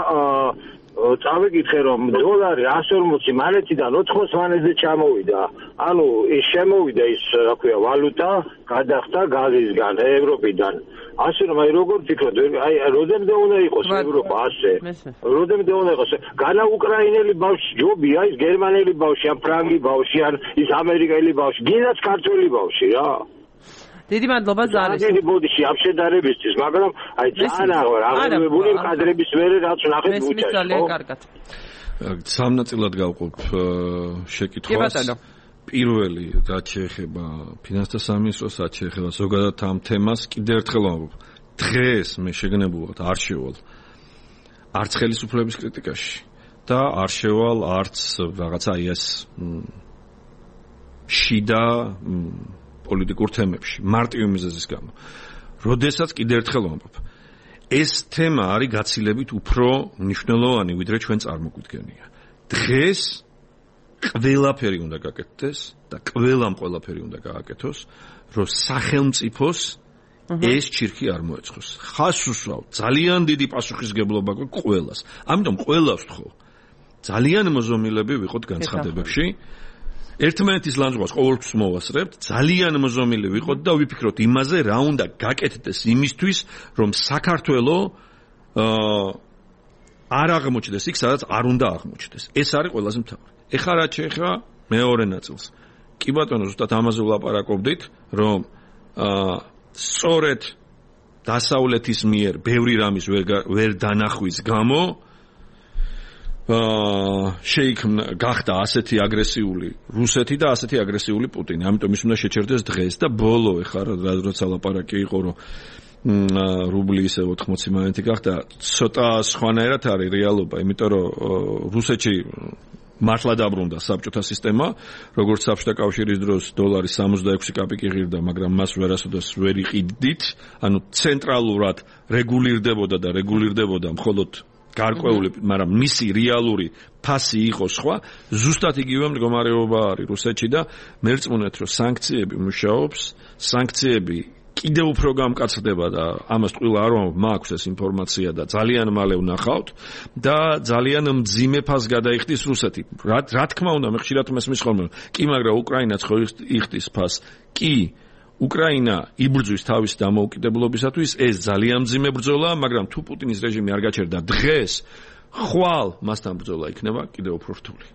წავეკითხე რომ დოლარი 140 მანეთიდან 80 მანეთზე ჩამოვიდა. ანუ ის შემოვიდა ის რა ქვია ვალუტა გადახდა გაზისგან ევროპიდან. ასე რომ აი როგორ ფიქრობთ აი როდემდე უნდა იყოს ევროპა ასე. როდემდე უნდა იყოს განა უკრაინელი ბავშვი ჯობია ის გერმანელი ბავშვი ან ფრანგი ბავშვი ან ის ამერიკელი ბავშვი გინდაც ქართველი ბავშვი რა. დიდი მადლობა ზარის. დიდი ბოდიში ამ შედარებისთვის, მაგრამ აი ძალიან აღარებული კადრების მერე რაც ნახეთ ბუჩაში. მესმის ძალიან კარგად. სამ ნაწილად გავყოფ შეკითხვას. პირველი, რაც შეეხება ფინანსთა სამინისტროს, რაც შეეხება ზოგადად ამ თემას, კიდევ ერთხელ ვამბობ. დღეს მე შეგნებულად არ შევალ არც ხელისუფლების კრიტიკაში და არ შევალ არც რაღაცა ის შიდა პოლიტიკურ თემებში, მარტივი მიზეზის გამო. როდესაც კიდევ ერთხელ ვამბობ, ეს თემა არის გაცილებით უფრო მნიშვნელოვანი, ვიდრე ჩვენ წარმოგვიდგენია. დღეს ყველაფერი უნდა გაკეთდეს და ყველაფერი უნდა გააკეთოს, რომ სახელმწიფოს ეს ჩირქი არ მოეწყოს. ხას უსვავ, ძალიან დიდი პასუხისგებლობა გვაქვს ყველას. ამიტომ ყველას ვთხოვ, ძალიან მოზომილები ვიყოთ განცხადებებში. ერთმანეთის ლანძღვას ყოველთვის მოვასწრებთ, ძალიან მოზომილი ვიყოთ და ვიფიქროთ იმაზე, რა უნდა გაკეთდეს იმისთვის, რომ საქართველო არ აღმოჩნდეს იქ, სადაც არ უნდა აღმოჩნდეს. ეს არის ყველაზე მთავარი. ეხლა რაც შეეხება მეორე ნაწილს. კი ბატონო, ზუსტად ამაზე ვლაპარაკობდით, რომ სწორედ დასავლეთის მიერ ბევრი რამის ვერ დანახვის გამო შეიქმნა გახდა ასეთი აგრესიული რუსეთი და ასეთი აგრესიული პუტინი. ამიტომ ის უნდა შეჩერდეს დღეს და ბოლო ეხლა როცა ლაპარაკი იყო რომ რუბლი ისე 80 მანეთი გახდა, ცოტა სხვანაირად არის რეალობა, იმიტომ რომ რუსეთში მართლა დაბრუნდა საბჭოთა სისტემა, როგორც საბჭოთა კავშირის დროს დოლარი 66 კაპიკი ღირდა, მაგრამ მას ვერასოდეს ვერ იყიდით, ანუ ცენტრალურად რეგულირდებოდა მხოლოდ გარკვეული, მაგრამ მისი რეალური ფასი იყო სხვა, ზუსტად იგივე მდგომარეობა არის რუსეთში და მერწმუნეთ, რომ სანქციები მუშაობს, სანქციები კიდევ უფრო გამკაცდება და ამას ყველა არ მაქვს ეს ინფორმაცია და ძალიან მალე ვნახავთ და ძალიან მძიმე ფასს გადაიხდის რუსეთი. რა თქმა უნდა, მე ხშირად მესმის ხოლმე, კი, მაგრამ უკრაინაც ხო იხდის ფასს. კი, უკრაინა იბრძვის თავის დამოუკიდებლობისათვის, ეს ძალიან მძიმე ბრძოლაა, მაგრამ თუ პუტინის რეჟიმი არ გაჩერდა დღეს, ხვალ მასთან ბრძოლა იქნება კიდევ უფრო რთული.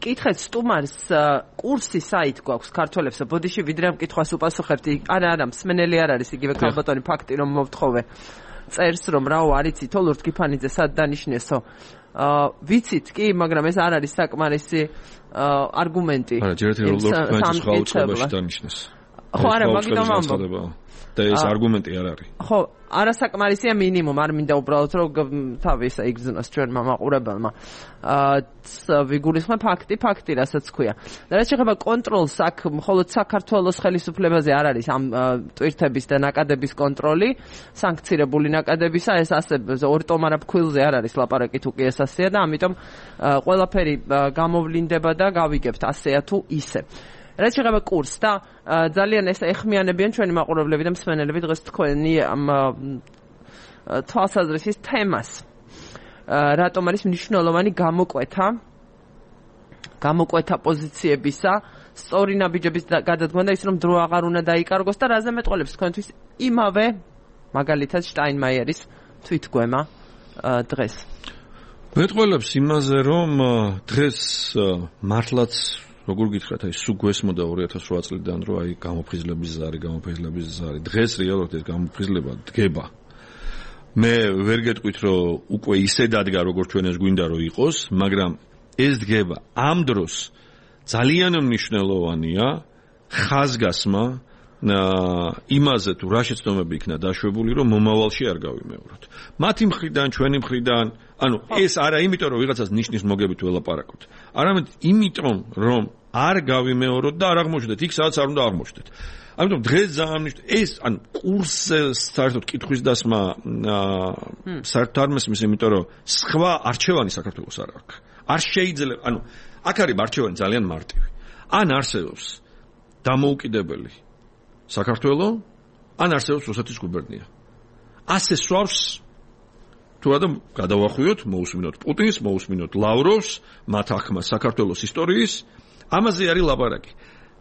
კითხეთ სტუმარს კურსი საით გვაქვს ქართველებს, ბოდიში ვიდრე ამ კითხვას უპასუხებთ. არა, მსმენელი არ არის იგივე ქალბატონი ფაქტი რომ მოვთხოვე. წერს რომ რაო არიცით ოლურთ გიფანიძე სად დანიშნესო. ვიცით კი, მაგრამ ეს არ არის საკმარისი არგუმენტი. არა, ჯერ ერთი ოლურთ გიფანიძეს ხო აუწყებაში დანიშნეს. ხო, არა, მაგიტომ ამბობ. და ეს არგუმენტი არ არის. ხო, არასაკმარისია მინიმუმ, არ მინდა უბრალოდ რომ თავი ისე იგზნოს ჩვენმა მაყურებელმა. ვიგულისხმე ფაქტი, რასაც ქვია. და რაც შეეხება კონტროლს, აქ მხოლოდ საქართველოს ხელისუფლებაზე არ არის ამ ტვირთების და ნაკადების კონტროლი, სანქცირებული ნაკადებისა, ეს ასე ორი ტომარა ფქვილზე არ არის ლაპარაკი თუ კი ეს ასეა და ამიტომ ყველაფერი გამოვლინდება და გავიგებთ ასეა თუ ისე. რაც შეეხება კურსს და ძალიან ეს ეხმიანებიან ჩვენი მაყურებლები და მსმენელები დღეს თქვენი ამ თვალსაზრისის თემას. რატომ არის მნიშვნელოვანი გამოკვეთა პოზიციებისა, სწორი ნაბიჯების გადადგმა და ის რომ დრო აღარ უნდა დაიკარგოს და რაზე მეტყოლებს თქვენთვის იმავე მაგალითად შტაინმაიერის თვითგვემა დღეს. მეტყოლებს იმაზე რომ დღეს მართლაც როგორ გითხრათ აი სულ გვესმოდა 2008 წლიდან რომ აი გამოფხიზლების ზარი დღეს რეალურად ეს გამოფხიზლება დგება. მე ვერ გეტყვით რომ უკვე ისე დადგა როგორც ჩვენ ეს გვინდა რომ იყოს, მაგრამ ეს დგება ამ დროს ძალიან მნიშვნელოვანია ხაზგასმა იმაზე თუ რა შეცდომები იქნა დაშვებული რომ მომავალში არ გავიმეოროთ. მათი მხრიდან, ჩვენი მხრიდან, ანუ ეს არა იმიტომ რომ ვიღაცას ნიშნის მოგებით ველაპარაკოთ. არამედ იმიტომ რომ არ გავიმეოროთ და არ აღმოჩნდეთ იქ სადაც არ უნდა აღმოჩნდეთ. ამიტომ დღეს ძალიან ეს ანუ კურსზე საერთოდ კითხვის დასმა საერთოდ არ მესმის იმიტომ რომ სხვა არჩევანი საქართველოს არ აქვს. არ შეიძლება ანუ აქ არის არჩევანი ძალიან მარტივი. ან არსებობს დამოუკიდებელი საქართველო, ან არსებობს რუსეთის გუბერნია. ასე სვავს თუ რადგან გადავახვიოთ, მოусმინოთ პუტინს, მოусმინოთ ლავროვს, მათ ახმას საქართველოს ისტორიის, ამაზე არის ლაპარაკი.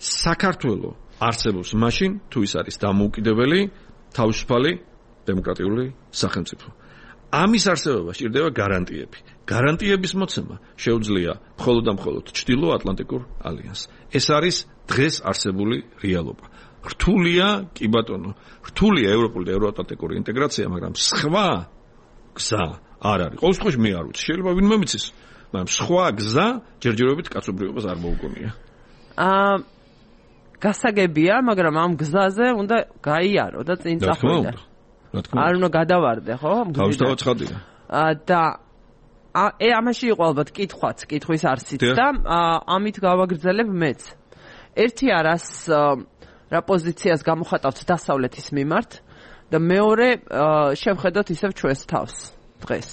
საქართველო არსებობს მაშინ, თუ ის არის დამოუკიდებელი, თავისუფალი, დემოკრატიული სახელმწიფო. ამის არსებობა სჭირდება გარანტიები. გარანტიების მოცემა შეუძლია მხოლოდ და მხოლოდ ჩრდილო-ატლანტიკურ ალიანსს. ეს არის დღეს არსებული რეალობა. რთულია, კი ბატონო, რთულია ევროპული და ევროატლანტიკური ინტეგრაცია, მაგრამ სხვა გზა არ არის. ყოველ შემთხვევაში მე არ ვიცი, შეიძლება ვინმე მიცის, მაგრამ სხვა გზა ჯერჯერობით კაცობრიობას არ მოუგონია. გასაგებია, მაგრამ ამ გზაზე უნდა გაიარო და წინ წახვიდე. არ უნდა გადავარდე, ხო? თავისთავად ცხადია. და ამაში იყო ალბათ კითხვის არსით და ამით გავაგრძელებ მეც. ერთი არას რა პოზიციას გამოხატავთ დასავლეთის მიმართ და მეორე შევხედოთ ისევ ჩვენს თავს დღეს.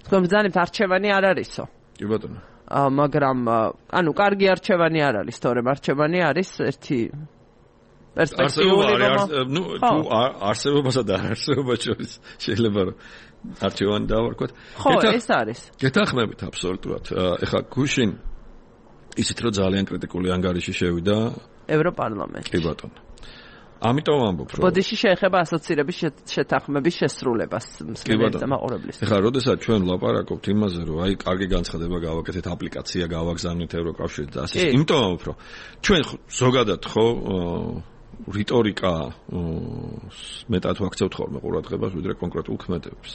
თქვენ ბრძანებთ არჩევანი არ არისო. კი ბატონო. მაგრამ ანუ კარგი არჩევანი არ არის, თორემ არჩევანი არის ერთი პერსპექტიული თუ არსებობასა და არსებობას შორის შეიძლება რომ არჩევანი დავარქვათ. ხო, ეს არის. გეთანხმებით აბსოლუტურად. ეხლა გუშინ ისეთ რომ ძალიან კრიტიკული ანგარიში შევიდა ევროპარლამენტში. კი ბატონო. ამიტომ ამბობ რომ ბოდიში შეეხება ასოცირების შეთანხმების შესრულებას მსმენელთა მაყურებლის. ეხლა როდესაც ჩვენ ვლაპარაკობთ იმაზე რომ აი კარგი განცხადება გავაკეთეთ, აპლიკაცია გავაგზავნეთ ევროკავშირით და ასე. იმიტომ ამბობ რომ ჩვენ ზოგადად ხო რიტორიკა მეტად ვაქცევთ ხოლმე ყურადღებას ვიდრე კონკრეტულ ქმედებს.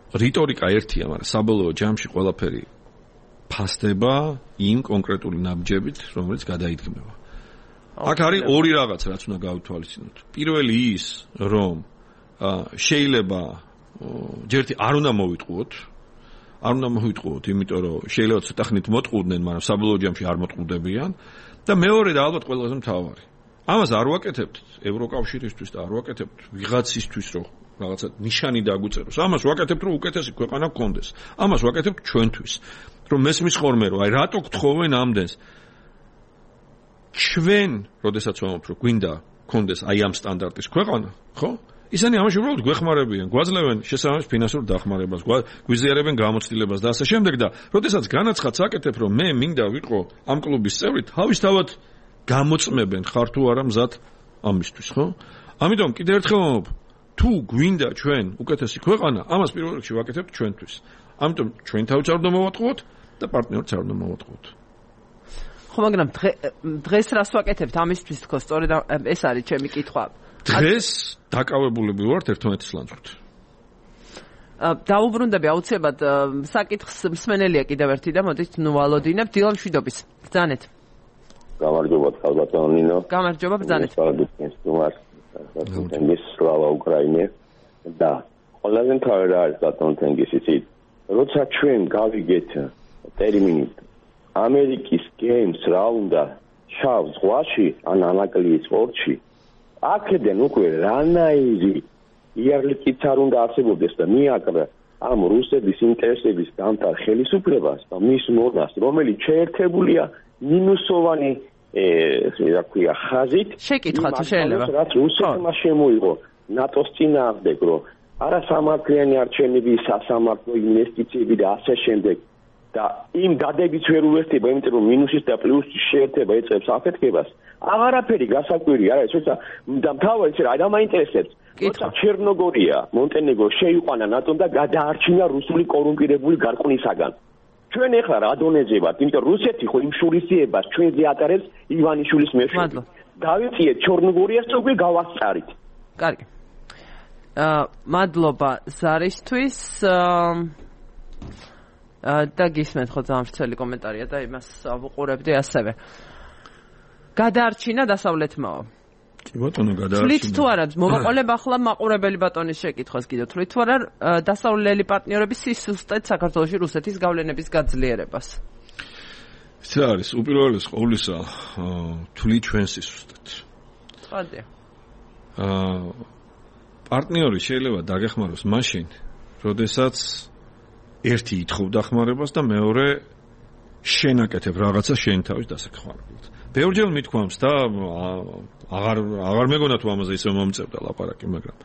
რიტორიკა ერთია, მაგრამ საბოლოო ჯამში ყველაფერი ფასდება იმ კონკრეტული ნაბიჯებით, რომელიც გადაიდგმება. აქ არის ორი რაღაც, რაც უნდა გავითვალისწინოთ. პირველი ის, რომ შეიძლება ჯერთი არ უნდა მოვიტყუოთ, იმიტომ რომ შეიძლება ცოტა ხნით მოტყუდნენ, მაგრამ საბოლოო ჯამში არ მოტყუდებიან და მეორე და ალბათ ყველაზე მთავარი. ამას არ ვაკეთებთ ევროკავშირისთვის და არ ვაკეთებთ ვიღაცისთვის, რომ რაღაცა ნიშანი დაგვიწეროს. ამას ვაკეთებთ, რომ უკეთესი ქვეყანა გქონდეს. ამას ვაკეთებთ ჩვენთვის. რომ მესმის ხოლმე რომ აი რატო გთხოვენ ამდენს ჩვენ როდესაც ვამბობთ რომ გვინდა გქონდეს აი ამ სტანდარტის ქვეყანა ხო ისინი ამაში უბრალოდ გვეხმარებიან გვაძლევენ შესაბამის ფინანსურ დახმარებას გვიზიარებენ გამოცდილებას და ასე შემდეგ და როდესაც განაცხადს აკეთებ რომ მე მინდა ვიყო ამ კლუბის წევრი თავისთავად გამოწმებენ ხარ თუ არა მზად ამისთვის ხო ამიტომ კიდევ ერთხელ ვამბობ თუ გვინდა ჩვენ უკეთესი ქვეყანა ამას პირველ რიგში ვაკეთებთ ჩვენთვის ამიტომ ჩვენ თავიც არ უნდა მოვატყუოთ და პარტნიორიც არ უნდა მოვატყუოთ. ხო, მაგრამ დღეს რას ვაკეთებთ ამისთვის თქო, სწორედ ეს არის ჩემი კითხვა. დღეს დაკავებულები ვართ ერთმანეთის ლანძღვრით. დაუბრუნდები აუცილებლად საკითხს მსმენელია კიდევ ერთი და მოდით ვალოდინებ დილა მშვიდობის. ბრძანეთ. გამარჯობა ხალბატონო ნინო. გამარჯობა ბრძანეთ. სლავა უკრაინე და ყველაზე მთავარი არის ბატონო თენგისიც როცა ჩვენ გავიგეთ ტერმინი ამერიკის გეიმს რა უნდა შავ ზღვაში ან ანაკლიის პორტში აქედან უკვე რანაირი იარლიკიც არ უნდა არსებობდეს და მიაკრა ამ რუსების ინტერესების დამტარ ხელისუფლებას და მის მონას რომელიც შეერთებულია მინუსოვანი რა ქვია ხაზით შეკითხვა თუ შეიძლება რაც რუსეთმა შემოიღო ნატოს წინააღმდეგ რომ არასამართლიანი არჩევნები, სასამართლო ინვესტიციები და ასე შემდეგ. და იმ დადებით ვერ უერთდება, იმიტომ რომ მინუსის და პლუსის შეერთება ეწევს აფეთქებას. აღარაფერი გასაკვირი არა, თორსა და მთავარი რა დამაინტერესებს. როცა ჩერნოგორია, მონტენეგრო შეიყვანა ნატომ და გადაარჩინა რუსული კორუმპირებული გარყვნისაგან. ჩვენ ეხლა რა დონეზე ვართ, იმიტომ რუსეთი ხო იმ შურისძიებას ჩვენზე ატარებს ივანიშვილის მეშვეობით. დავიწიეთ ჩერნოგორიას და უკვე გავასწარით. კარგი. მადლობა ზარისთვის. და გისმენთ ხო ძალიან ვრცელი კომენტარია და იმას ვუყურებდი ასევე. გადაარჩინა დასავლეთმაო. კი ბატონო, გადაარჩინა. თვლით თუ არა, მოვაყოლებ ახლა მაყურებელი ბატონის შეკითხვას კიდევ. თვლით თუ არა დასავლელი პარტნიორები სისუსტეთ საქართველოში რუსეთის გავლენების გაძლიერებას? ეს არის უპირველეს ყოვლისა თვლით ჩვენ სისუსტეთ. ხადია. პარტნიორი შეიძლება დაგეხმაროს მაშინ, როდესაც ერთი ითხოვდა ხმარებას და მეორე შენაკეთებ რაღაცა შენ თავის დასახმარებლად. ბევრჯერ მithქვამს და აღარ მეგონა თუ ამაზე ისე მომწევდა ლაპარაკი, მაგრამ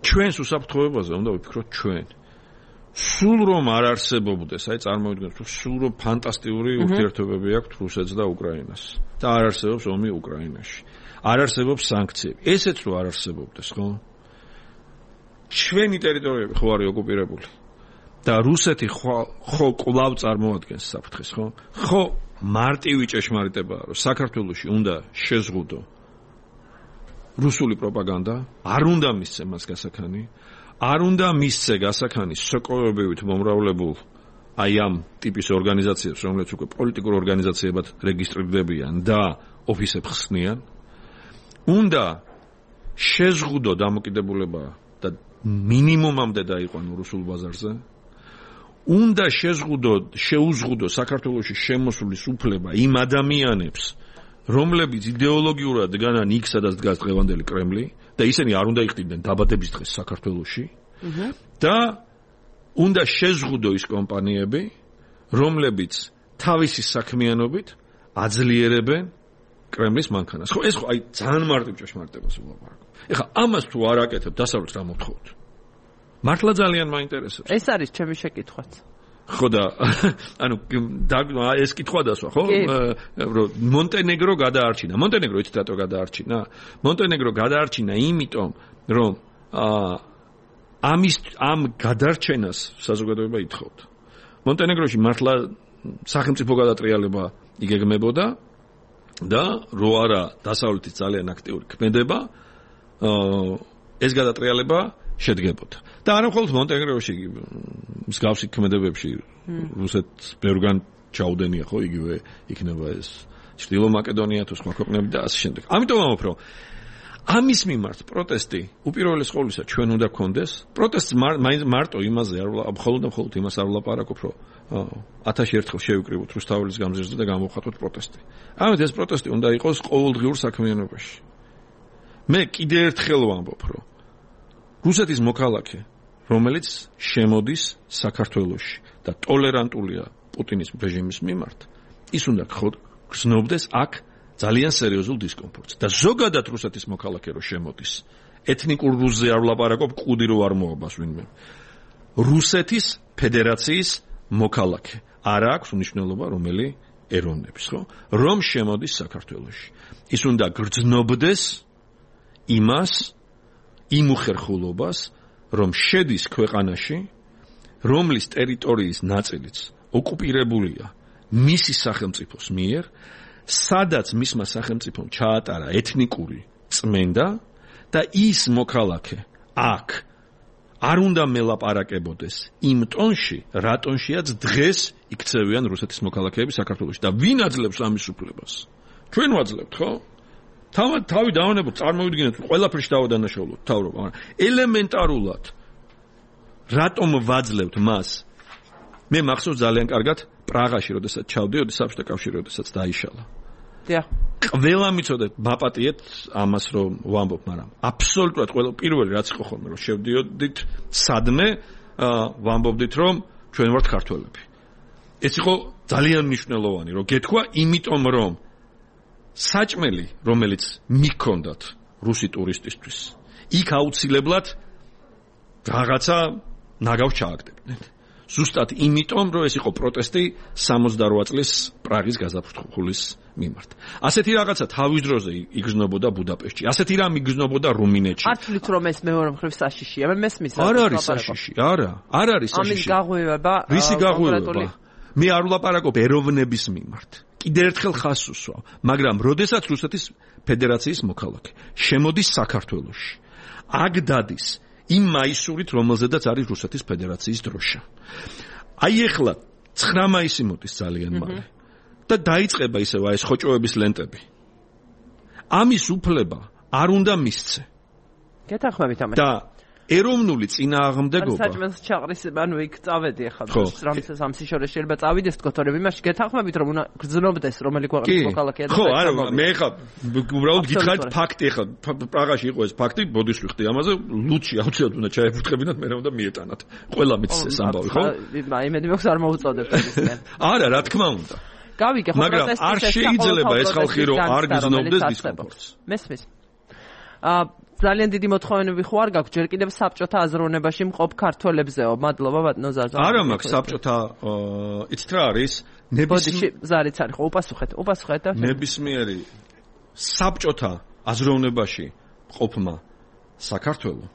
ჩვენს უსაფრთხოებაზე უნდა ვიფიქროთ ჩვენ. სულ რომ არ არსებობდეს, აი წარმოვიდგინოთ, თუ სულ რომ ფანტასტიკური ურთიერთობები აქვს რუსეთს და უკრაინას და არ არსებობს ომი უკრაინაში. არ არსებობს სანქციები. ესეც რო არ არსებობდეს, ხო? ჩვენი ტერიტორიები ხო არის ოკუპირებული და რუსეთი ხო კვლავ წარმოადგენს საფრთხეს, ხო? ხო მარტივი ჭეშმარიტებაა, რომ საქართველოში უნდა შეზღუდო რუსული პროპაგანდა, არ უნდა მისცე მას გასაქანი, არ უნდა მისცე გასაქანი სოკოებივით მომრავლებულ აი ამ ტიპის ორგანიზაციებს, რომლებიც უკვე პოლიტიკურ ორგანიზაციებად რეგისტრირდებიან და ოფისებს ხსნიან. უნდა შეზღუდო დამოკიდებულება და მინიმუმამდე დაიყვანო რუსულ ბაზარზე. უნდა შეუზღუდო საქართველოში შემოსulis უფლება იმ ადამიანებს, რომლებიც იდეოლოგიურად დგანან იქ, სადაც დგას დღევანდელი კრემლი და ისინი არ უნდა იყიდნენ დაბადების დღეს საქართველოში. და უნდა შეზღუდო ის კომპანიები, რომლებიც თავისი საქმიანობით აძლიერებენ კრემლის მანქანას. ხო, ეს ხო აი ძალიან მარტივ ჭეშმარიტებას ვლაპარაკობ. ეხლა ამას თუ არ აკეთებ, დასავლეთს რა მოთხოვთ? მართლა ძალიან მაინტერესებს. ეს არის ჩემი შეკითხვაც. ხო და ანუ ეს კითხვა დასვა, ხო? რომ მონტენეგრო გადაარჩინა. მონტენეგრო იცით რატო გადაარჩინა? მონტენეგრო გადაარჩინა იმიტომ, რომ ამ გადარჩენას საზოგადოება ითხოვდა. მონტენეგროში მართლა სახელმწიფო გადატრიალება იგეგმებოდა და რო არა დასავლეთის ძალიან აქტიური ქმედება, ეს გადატრიალება შედგებოდა. და არა მხოლოდ მონტენეგროში, მსგავსი ქმედებებში რუსეთს ბევრგან ჩაუდენია, ხო, იგივე იქნება ეს ჩრდილო მაკედონია თუ სხვა ქვეყნები და ასე შემდეგ. ამიტომ ამბობ, რომ ამის მიმართ პროტესტი უპირველეს ყოვლისა ჩვენ უნდა გქონდეს. პროტესტს მარტო იმაზე არ მხოლოდ იმას არ ვლაპარაკობ, რომ 1000 ერთხელ შევიკრიბოთ რუსთაველის გამზირზე და გამოვხატოთ პროტესტი. ამით ეს პროტესტი უნდა იყოს ყოველდღიურ საქმიანობაში. მე კიდე ერთხელ ვამბობ, რომ რუსეთის მოქალაქე, რომელიც შემოდის საქართველოში და ტოლერანტულია პუტინის რეჟიმის მიმართ, ის უნდა გრძნობდეს აქ ძალიან სერიოზულ დისკომფორტს. და ზოგადად რუსეთის მოქალაქე რო შემოდის, ეთნიკურ რუსზე არ ვლაპარაკობ, კუდი რო არ მოაბას ვინმე. რუსეთის ფედერაციის მოქალაქე. არ აქვს მნიშვნელობა რომელი ეროვნების, ხო? რომ შემოდის საქართველოში. ის უნდა გრძნობდეს იმას, იმ უხერხულობას, რომ შედის ქვეყანაში, რომლის ტერიტორიის ნაწილიც ოკუპირებულია მისი სახელმწიფოს მიერ, სადაც მისმა სახელმწიფომ ჩაატარა ეთნიკური წმენდა და ის მოქალაქე აქ არ უნდა მელაპარაკებოდეს იმ ტონში, რა ტონშიაც დღეს იქცევიან რუსეთის მოქალაქეები საქართველოში და ვინ აძლევს ამის უფლებას? ჩვენ ვაძლევთ, ხო? თავი დავანებოთ, წარმოვიდგინოთ, ყველაფერში დავადანაშაულოთ თავრობა, მაგრამ ელემენტარულად რატომ ვაძლევთ მას? მე მახსოვს ძალიან კარგად პრაღაში, როდესაც ჩავდიოდი საბჭოთა კავშირი, როდესაც დაიშალა. დიახ. ყველა მიცოდეთ, ბაპატიეთ ამას რომ ვამბობ, მაგრამ აბსოლუტურად ყველა პირველი რაც იყო ხოლმე, რომ შევდიოდით სადმე, ვამბობდით, რომ ჩვენ ვართ ქართველები. ეს იყო ძალიან მნიშვნელოვანი, რომ გეთქვა, იმიტომ რომ საჭმელი, რომელიც მიქონდათ რუსი ტურისტისთვის, იქ აუცილებლად რაღაცა ნაგავს ჩააგდებდნენ. ზუსტად იმიტომ, რომ ეს იყო პროტესტი 68 წლის პრაღის გაზაფხულის მიმართ. ასეთი რაღაცა თავის დროზე იგრძნობოდა ბუდაპეშტში. ასეთი რამ იგრძნობოდა რუმინეთში. არ თვლით რომ ეს მეორე მხრივ საშიშია? მე მესმის. არ არის საშიში, არა არის საშიში. ამის გაღვივება. რისი გაღვივება? მე არ ვლაპარაკობ ეროვნების მიმართ. კიდევ ერთხელ ხას უსვავ, მაგრამ როდესაც რუსეთის ფედერაციის მოქალაქე შემოდის საქართველოში, აქ დადის იმ მაისურით, რომელზედაც არის რუსეთის ფედერაციის დროშა. აი ეხლა 9 მაისი მოდის ძალიან მალე და დაიწყება ისევ ეს ხოჭოების ლენტები. ამის უფლება არ უნდა მისცე. გეთანხმებით ამას. და ეროვნული წინააღმდეგობა საჭმელს ჩაყრის, ანუ იქ წავედი ახლა რამისას ამსიშორე შეიძლება წავიდეს თქო, თორემ იმაში გეთანხმებით რომ უნდა გრძნობდეს რომელი ქვეყნის მოქალაქეა და ხო, არა, მე ახლა უბრალოდ გითხარით ფაქტი, ახლა პრაღაში იყო ეს ფაქტი, ბოდიშ ვიხდი ამაზე, ლუჩი აუცილებლად უნდა ჩაეფუტკრებინათ, მე უნდა მიეტანათ. ყველა მის ეს ამბავი, ხო? იმედი მაქვს არ მოუწოდებთ ისინი. არა, რა თქმა უნდა. გავიგე, ხო, პროტესტის არ შეიძლება ეს ხალხი რომ არ გრძნობდეს დისკომფორტს. მესმის. ძალიან დიდი მოთხოვნები ხო არ გაქვს ჯერ კიდევ საბჭოთა აზროვნებაში მყოფ ქართველებზეო. მადლობა ბატონო ზარზა. არა მაქვს საბჭოთა იცით რა არის? ბოდიში ზარიც არის ხო უპასუხეთ და ნებისმიერი საბჭოთა აზროვნებაში მყოფმა საქართველოს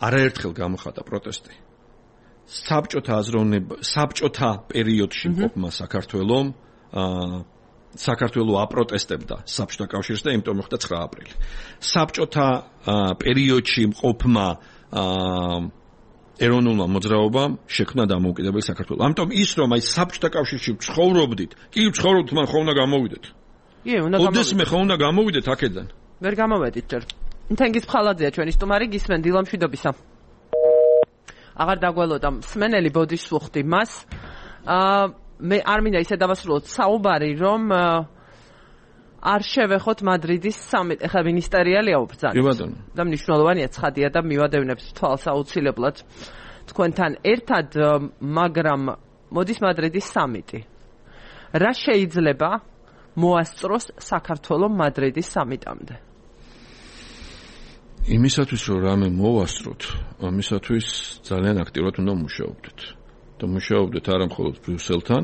არაერთხელ გამოხატა პროტესტი. საბჭოთა პერიოდში მყოფმა საქართველოს საქართველოს აპროტესტებდა საბჭოთა კავშირს და იმიტომ მოხდა 9 აპრილი. საბჭოთა პერიოდში მყოფმა ეროვნულმა მოძრაობამ შექმნა დამოუკიდებელი საქართველო. ამიტომ ის რომ აი საბჭოთა კავშირში ცხოვრობდით, კი ცხოვრობთ, მან ხო უნდა გამოვიდეთ. კი, უნდა გამოვიდეთ. ოდესმე ხო უნდა გამოვიდეთ აქედან. ვერ გამოვედით ჯერ. თენგიზ ფხალაძეა ჩვენი სტუმარი, გისმენ დილამშვიდობისა. აღარ დაგველოდა მსმენელი ბოდიშს ვუხდი მას. მე არ მინდა ისე დავასრულოთ საუბარი, რომ არ შევეხოთ მადრიდის სამიტი. ეხლა მინისტერიალია უბრძანა. კი ბატონო. და მნიშვნელოვანია ცხადია და მივადევნებს თვალს აუცილებლად თქვენთან ერთად, მაგრამ მოდის მადრიდის სამიტი. რა შეიძლება მოასწროს საქართველოს მადრიდის სამიტამდე? იმისათვის რომ რამე მოვასწროთ, ამისათვის ძალიან აქტიურად უნდა მუშაობდეთ. და მუშაობდეთ არა მხოლოდ ბრიუსელთან,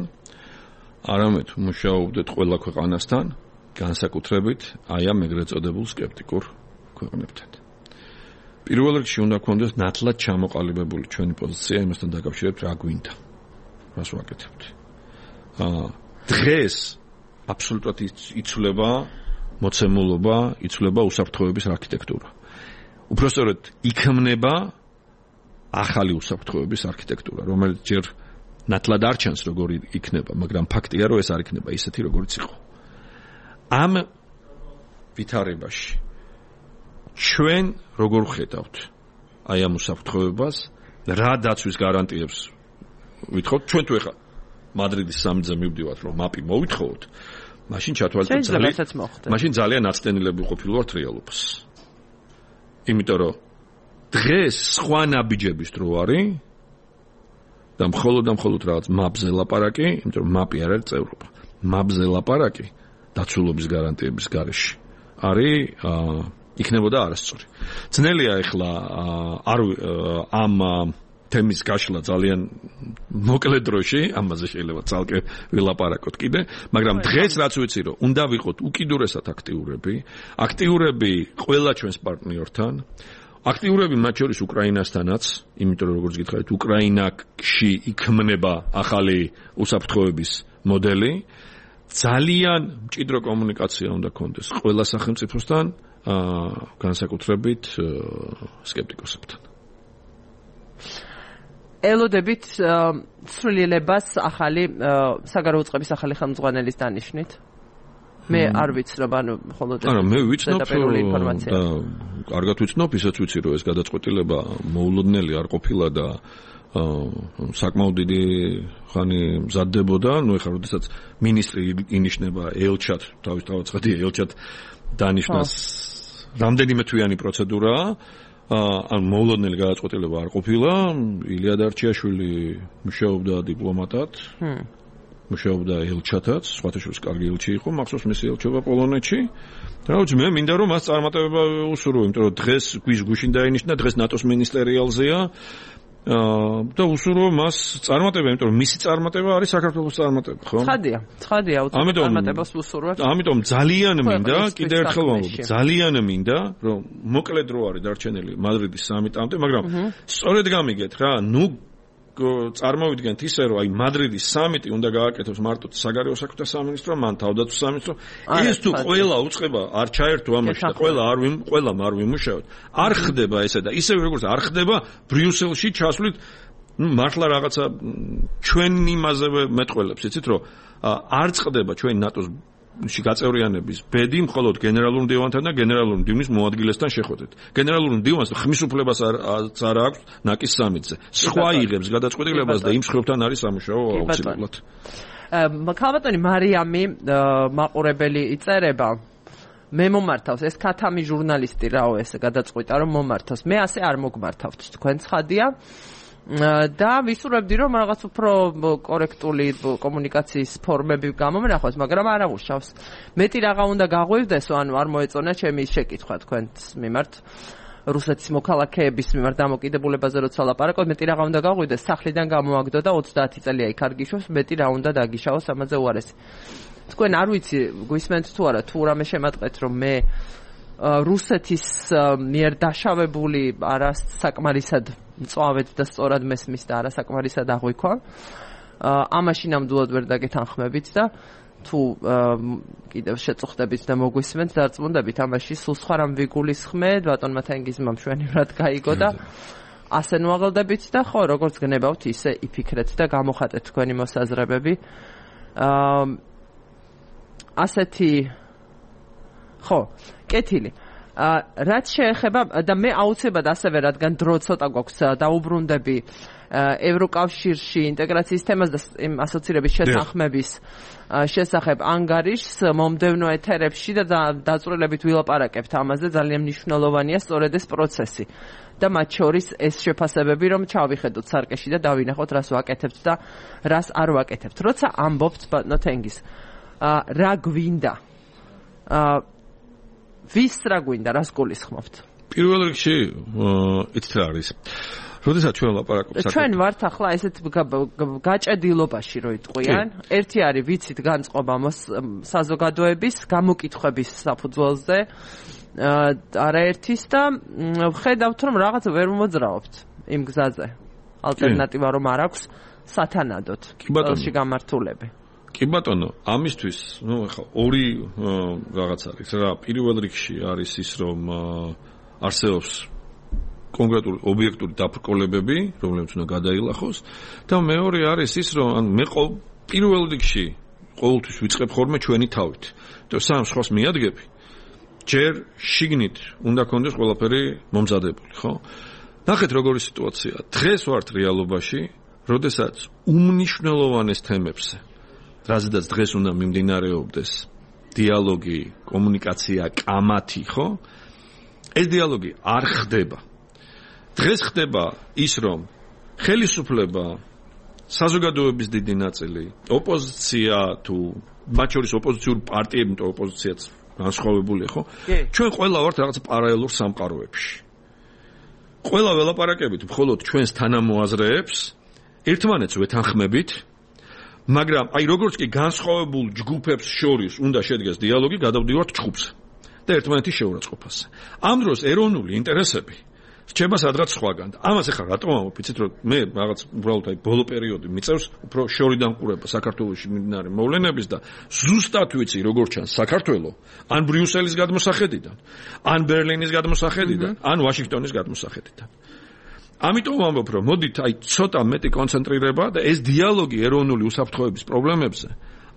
არამედ მუშაობდეთ ყველა ქვეყანასთან, განსაკუთრებით აი ამ ეგრეთ წოდებულ სკეპტიკურ ქვეყნებთან. პირველ რიგში უნდა გქონდეს ნათლად ჩამოყალიბებული ჩვენი პოზიცია იმასთან დაკავშირებით რა გვინდა. რას ვაკეთებთ. დღეს აბსოლუტურად იცვლება მოცემულობა, იცვლება უსაფრთხოების არქიტექტურა. უпростоროდ იქმნება ახალი უსაფრთხოების არქიტექტურა, რომელიც ჯერ ნათლად არ ჩანს როგორი იქნება, მაგრამ ფაქტია, რომ ეს არ იქნება ისეთი, როგორიც იყო. ამ ვითარებაში ჩვენ როგორ ხედავთ აი ამ უსაფრთხოებას, რა დაცვის გარანტიებს ვითხოვთ? ჩვენ თუ ეხა მადრიდის სამიტზე მივდივართ, რომ მაპი მოვითხოვოთ, მაშინ მაშინ ძალიან აცდენილები ყოფილვართ რეალობას. იმიტომ რომ დღეს სხვა ნაბიჯების დრო არის და მხოლოდ რაღაც მაპზე ლაპარაკი, იმიტომ რომ მაპი არ არის წევრობა. მაპზე ლაპარაკი დაცულობის გარანტიების გარეშე არის იქნებოდა არასწორი. ძნელია ეხლა ამ თემის გაშლა ძალიან მოკლე დროში, ამაზე შეიძლება ძალკე ვილაპარაკოთ კიდე, მაგრამ დღეს რაც ვიცი რომ უნდა ვიყოთ უკიდურესად აქტიურები ყველა ჩვენს პარტნიორთან, აქტიურები მათ შორის უკრაინასთანაც, იმიტომ რომ როგორც გითხარით, უკრაინაში იქმნება ახალი უსაფრთხოების მოდელი. ძალიან მჭიდრო კომუნიკაცია უნდა გქონდეს ყველა სახელმწიფოსთან, განსაკუთრებით სკეპტიკოსებთან. ელოდებით ცვლილებას ახალი საგარეო უწყების ახალი ხელმძღვანელის დანიშვნით. მე არ ვიცნობ, ანუ მხოლოდ არა, მე ვიცნობ და კარგად ვიცნობ, ისაც ვიცი რომ ეს გადაწყვეტილება მოულოდნელი არ ყოფილა და საკმაოდ დიდი ხანი მზადდებოდა, ну ეხლა როდესაც მინისტრი ინიშნება ელჩად, თავისთავად ელჩად დანიშნას რამდენიმე თვიანი პროცედურაა, ან მოულოდნელი გადაწყვეტილება არ ყოფილა, ილია დარჩიაშვილი მუშაობდა დიპლომატად. მუშაობდა ელჩათაც, სხვათაშორის კარგი ელჩი იყო, მახსოვს მისი ელჩობა პოლონეთში. რაც მე მინდა რომ მას წარმატება უსურვო, იმიტომ რომ დღეს გვის გუშინ დაინიშნა, დღეს ნატოს მინისტერიალზეა. და უსურვო მას წარმატება, იმიტომ რომ მისი წარმატება არის საქართველოს წარმატება, ხო? ცხადია, წარმატებას უსურვებს. ამიტომ ძალიან მინდა, კიდევ ერთხელ ვამბობ, ძალიან მინდა, რომ მოკლედ რო არის დარჩენილი მადრიდის სამიტამდე, მაგრამ სწორედ გამიგეთ რა, წარმოვიდგენთ ისე, რომ აი მადრიდის სამიტი უნდა გააკეთოს მარტო საგარეო საქმეთა სამინისტრო, მან თავდაცვის სამინისტრო. ეს თუ ყველა უწყება არ ჩაერთო ამაში და ყველამ არ ვიმუშაოთ. არ ხდება ესე და ისევ როგორც არ ხდება ბრიუსელში ჩასვლით, მართლა რაღაცა ჩვენ იმაზევე მეტყველებს, იცით რომ არ წყდება ჩვენი ნატოს გაწევრიანების ბედი მხოლოდ გენერალურ მდივანთან და გენერალურ მდივნის მოადგილესთან შეხვედრით. გენერალურ მდივანს ხმის უფლებას არ აქვს ნაკის სამიტზე. სხვა იღებს გადაწყვეტილებას და იმ მსხვერპლთან არის სამუშაო აუცილებლად. ქალბატონი მარიამი მაყურებელი იწერება. მე მომართავს ეს ქათამი ჟურნალისტი რაო ეს გადაწყვიტა რომ მომართავს. მე ასე არ მოგმართავთ თქვენ ცხადია. და ვისურვებდი რომ რაღაც უფრო კორექტული კომუნიკაციის ფორმები გამომნახოს, მაგრამ არ ამუშავს. მეტი რაღა უნდა გაღვივდესო, ანუ არ მოეწონა ჩემი შეკითხვა თქვენს მიმართ. რუსეთის მოქალაქეების მიმართ დამოკიდებულებაზე როცა ლაპარაკობ, მეტი რაღა უნდა გაღვივდეს, სახლიდან გამოაგდო და 30 წელია იქ არ გიშვებს, მეტი რა უნდა დაგიშავოს ამაზე უარესი. თქვენ არ ვიცი, გვისმენთ თუ არა, თუ რამე შემატყეთ, რომ მე რუსეთის მიერ დაშავებული არასაკმარისად მწვავედ და სწორად მესმის და არასაკმარისად აღვიქვა. ამაში ნამდვილად ვერ დაგეთანხმებით და თუ კიდევ შეწუხდებით და მოგვისმენთ დარწმუნდებით ამაში სულ სხვა რამ ვიგულისხმეთ, ბატონმა თენგიზმა მშვენივრად გაიგო და ასე ნუაღლდებით და ხო, როგორც გნებავთ, ისე იფიქრეთ და გამოხატეთ თქვენი მოსაზრებები. ასეთი ხო, კეთილი. რაც შეეხება და მე აუცილებლად ასევე რადგან დრო ცოტა გვაქვს დაუბრუნდები ევროკავშირში ინტეგრაციის თემას და იმ ასოცირების შეთანხმების შესახებ ანგარიშს მომდევნო ეთერებში და დაწვრილებით ვილაპარაკებთ ამაზე. ძალიან მნიშვნელოვანია სწორედ ეს პროცესი და მათ შორის ეს შეფასებები რომ ჩავიხედოთ სარკეში და დავინახოთ რას ვაკეთებთ და რას არ ვაკეთებთ. როცა ამბობთ ბატონო თენგიზ რა გვინდა ვის რა გვინდა, რას გულისხმობთ? პირველ რიგში იცით რა არის. როდესაც ჩვენ ლაპარაკობთ ჩვენ ვართ ახლა ესეთ გაჭედილობაში რო იტყვიან. ერთი არის ვიცით განწყობა საზოგადოების გამოკითხვების საფუძველზე არაერთის და ხედავთ რომ რაღაც ვერ მოძრაობთ იმ გზაზე. ალტერნატივა რომ არ აქვს სათანადოდ ყველში გამართულები. კი ბატონო, ამისთვის, ახლა ორი რაღაც არის რა, პირველ რიგში არის ის რომ არსებობს კონკრეტული ობიექტური დაბრკოლებები, რომლებიც უნდა გადაილახოს და მეორე არის ის რომ მე პირველ რიგში ყოველთვის ვიწყებ ხოლმე ჩვენი თავით. და სამ სხვას მიადგები, ჯერ შიგნით უნდა კონდეს ყველაფერი მომზადებული, ხო? ნახეთ როგორი სიტუაციაა. დღეს ვართ რეალობაში, როდესაც უმნიშვნელოვანეს თემებზე რაზედაც დღეს უნდა მიმდინარეობდეს დიალოგი, კომუნიკაცია, კამათი, ხო? ეს დიალოგი არ ხდება. დღეს ხდება ის, რომ ხელისუფლება, საზოგადოების დიდი ნაწილი, ოპოზიცია თუ მათ შორის ოპოზიციური პარტიები, თუ ოპოზიციაც განსხვავებულია, ხო? ჩვენ ყველა ვართ რაღაც პარალელურ სამყაროებში. ყველა ველაპარაკებით მხოლოდ ჩვენს თანამოაზრეებს, ერთმანეთს ვეთანხმებით, მაგრამ აი როგორც კი განსხვავებულ ჯგუფებს შორის უნდა შედგეს დიალოგი, გადავდივართ ჯგუფზე და ერთმანეთის შეურაცხყოფაზე. ამ დროს ეროვნული ინტერესები რჩება სადღაც სხვაგან. ამას ახლა რატომ ამბობ, იცით რომ მე რაღაც უბრალოდ აი ბოლო პერიოდი მიწევს უფრო შორიდან ყურება საქართველოში მიმდინარე მოვლენების და ზუსტად ვიცი როგორ ჩანს საქართველო ან ბრიუსელის გადმოსახედიდან, ან ბერლინის გადმოსახედიდან, ან ვაშინგტონის გადმოსახედიდან. ამიტომ ვამბობ, რომ მოდით აი ცოტა მეტი კონცენტრირება და ეს დიალოგი ეროვნული უსაფრთხოების პრობლემებზე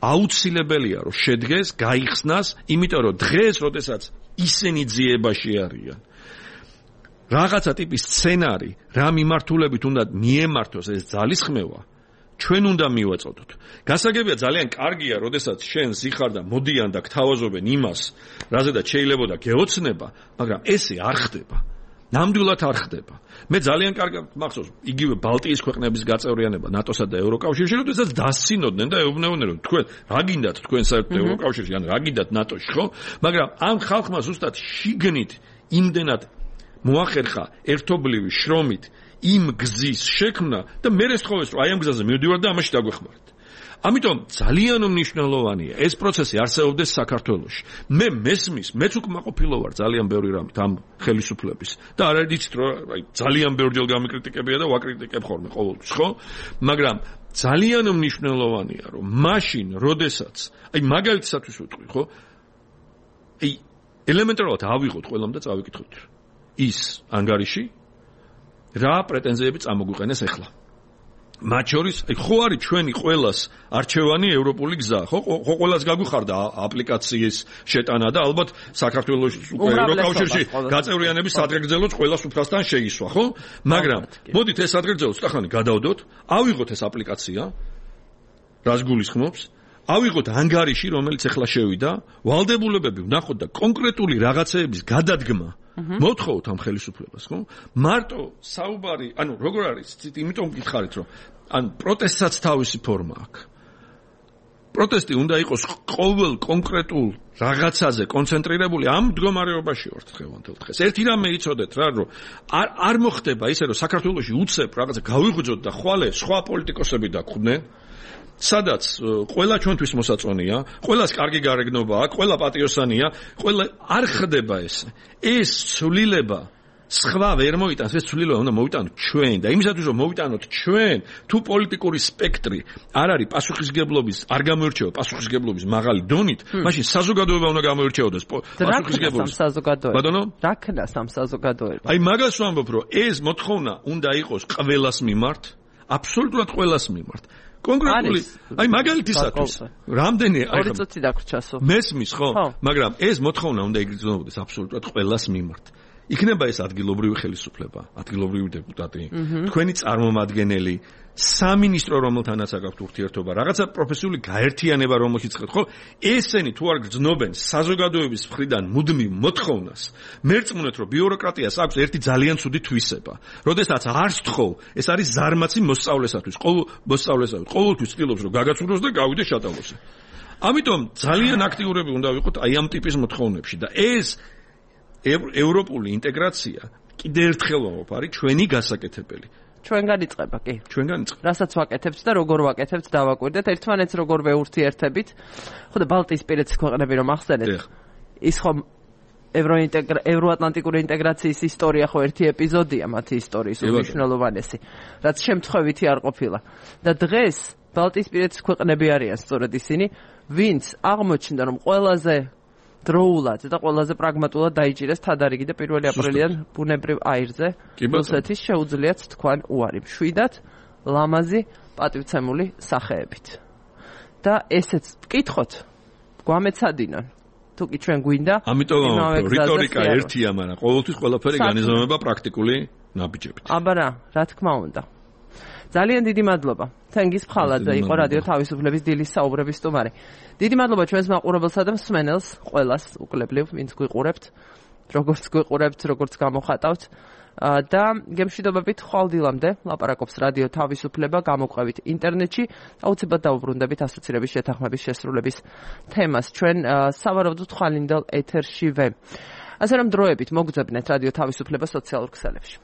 აუცილებელია რომ შედგეს, გაიხსნას, იმიტომ რომ დღეს, როდესაც ისინი ძიებაში არიან, რაღაცა ტიპის სცენარი, რა მიმართულებით უნდა მიემართოს ეს ძალისხმევა, ჩვენ უნდა მივაწოდოთ. გასაგებია ძალიან კარგია, როდესაც შენ ზიხარ და მოდიან და გთავაზობენ იმას, რაზედაც შეიძლებოდა გეოცნება, მაგრამ ესე არ ხდება. ნამდვილად არ ხდება. მე ძალიან კარგად მახსოვს იგივე ბალტიის ქვეყნების გაწევრიანება ნატოსა და ევროკავშირში, როდესაც დასცინოდნენ და ეუბნებოდნენ, რომ თქვენ რა გინდათ თქვენ საერთოდ ევროკავშირში, ან რა გინდათ ნატოში, ხო? მაგრამ ამ ხალხმა ზუსტად შიგნით იმდენად მოახერხა ერთობლივი შრომით იმ გზის შექმნა და მე რესხოვეს, რომ აი ამ გზაზე მივდივართ და ამაში დაგვეხმართ. ამიტომ ძალიან მნიშვნელოვანია ეს პროცესი არსებობდეს საქართველოში. მე მესმის, მეც უკმაყოფილო ვარ ძალიან ბევრი რამით ამ ხელისუფლების და არ არიცით რომ აი ძალიან ბევრჯერ გამიკრიტიკებია და ვაკრიტიკებ ხოლმე ყოველთვის, ხო? მაგრამ ძალიან მნიშვნელოვანია რომ მაშინ, როდესაც აი მაგალითისათვის ვიტყვი, ხო? აი ელემენტარულად ავიღოთ ყველამ და წავიკითხოთ ის ანგარიში რა პრეტენზიები წამოგვიყენეს ახლა. მათ შორის ხო არის ჩვენი ყველას არჩევანი ევროპული გზა, ხო ყველას გაგვიხარდა აპლიკაციის შეტანა და ალბათ საქართველოს ევროკავშირში გაწევრიანების სადღეგრძელოც ყველას უფასთან შეისვა, ხო? მაგრამ მოდით ეს სადღეგრძელო ცოტახანი გადავდოთ, ავიღოთ ეს აპლიკაცია, რას გულისხმობს, ავიღოთ ანგარიში, რომელიც ახლა შევიდა, ვალდებულებები ვნახოთ და კონკრეტული რაღაცეების გადადგმა მოთხოვთ ამ ხელისუფლებას, ხო? მარტო საუბარი, ანუ როგორ არის, იმიტომ გითხარით, რომ ან პროტესტსაც თავისი ფორმა აქვს. პროტესტი უნდა იყოს ყოველ კონკრეტულ რაღაცაზე კონცენტრირებული, ამ მდგომარეობაში ვართ დღევანდელ დღეს. ერთი რამე იცოდეთ რა, რომ არ მოხდება ისე, რომ საქართველოში უცებ რაღაცა გავიღვიძოთ და ხვალე სხვა პოლიტიკოსები დაგვხვდნენ, სადაც ყველა ჩვენთვის მოსაწონია, ყველას კარგი გარეგნობა აქვს, ყველა პატიოსანია, ყველა არ ხდება ესე. ეს ცვლილება სხვა ვერ მოიტანს, ეს ცვლილება უნდა მოვიტანოთ ჩვენ და იმისათვის რომ მოვიტანოთ ჩვენ, თუ პოლიტიკური სპექტრი არ არის პასუხისგებლობის, არ გამოირჩევა პასუხისგებლობის მაღალი დონით, მაშინ საზოგადოება უნდა გამოირჩეოდეს პასუხისგებლობის. ბატონო? რა ქნას ამ საზოგადოებას? აი მაგას ვამბობ, რომ ეს მოთხოვნა უნდა იყოს ყველას მიმართ, აბსოლუტურად ყველას მიმართ. კონკრეტული, აი მაგალითისათვის, რამდენი აი 2 წუთი დაგვრჩასო. მესმის, ხო? მაგრამ ეს მოთხოვნა უნდა იგრძნობოდეს აბსოლუტურად ყველას მიმართ. იქნება ეს ადგილობრივი ხელისუფლება, ადგილობრივი დეპუტატი, თქვენი წარმომადგენელი, სამინისტრო, რომელთანაც აქვს ურთიერთობა, რაღაცა პროფესიული გაერთიანება, რომელშიც ხეთ, ხო? ესენი თუ არ გრძნობენ საზოგადოების მხრიდან მუდმივ მოთხოვნას, მერწმუნეთ, რომ ბიუროკრატიას აქვს ერთი ძალიან ცუდი თვისება. როდესაც არ სთხოვ, ეს არის ზარმაცი მოსწავლესათვის, ყოველთვის ცდილობს, რომ გაგაცუროს და გავიდეს შატალოსი. ამიტომ ძალიან აქტიურები უნდა ვიყოთ აი ამ ტიპის მოთხოვნებში და ეს ევროპული ინტეგრაცია კიდე ერთხელ არის ჩვენი გასაკეთებელი. ჩვენგან იწყება, კი. ჩვენგან იწყება. რასაც ვაკეთებთ და როგორ ვაკეთებთ, დავაკვირდეთ ერთმანეთს როგორ ვეურთიერთებით. ხო და ბალტიისპირეთის ქვეყნები რომ ახსენეთ. ის ხომ ევროატლანტიკური ინტეგრაციის ისტორია ხო ერთი ეპიზოდია მათი ისტორიის უმნიშვნელოვანესი, რაც შემთხვევითი არ ყოფილა. და დღეს ბალტიისპირეთის ქვეყნები არიან სწორედ ისინი, ვინც აღმოჩნდა რომ ყველაზე დროულად და ყველაზე პრაგმატულად დაიჭირეს თადარიგი და 1 აპრილიდან ბუნებრივ აირზე რუსეთის შეუძლიათ თქვან უარი მშვიდად ლამაზი პატივცემული სახეებით. და ესეც ვკითხოთ, გვამეცადინონ. თუ კი ჩვენ გვინდა, ამიტომ რიტორიკა ერთია, მაგრამ ყოველთვის ყველაფერი განიზომება პრაქტიკული ნაბიჯებით. აბა რა თქმა უნდა. ძალიან დიდი მადლობა. თენგიზ ფხალაძე იყო რადიო თავისუფლების დილის საუბრების სტუმარი. დიდი მადლობა ჩვენს მაყურებელსა და მსმენელს, ყველას უკლებლივ, ვინც გვიყურებთ, როგორც გვიყურებთ, როგორც გამოხატავთ. და გემშვიდობებით ხვალდილამდე ლაპარაკობს რადიო თავისუფლება, გამოგვყევით ინტერნეტში, აუცილებლად დაუბრუნდებით ასოცირების შეთანხმების შესრულების თემას ჩვენ სავარაუდოდ ხვალინდელ ეთერშივე. ასე რომ დროებით მოგძებნეთ რადიო თავისუფლება სოციალურ ქსელებში.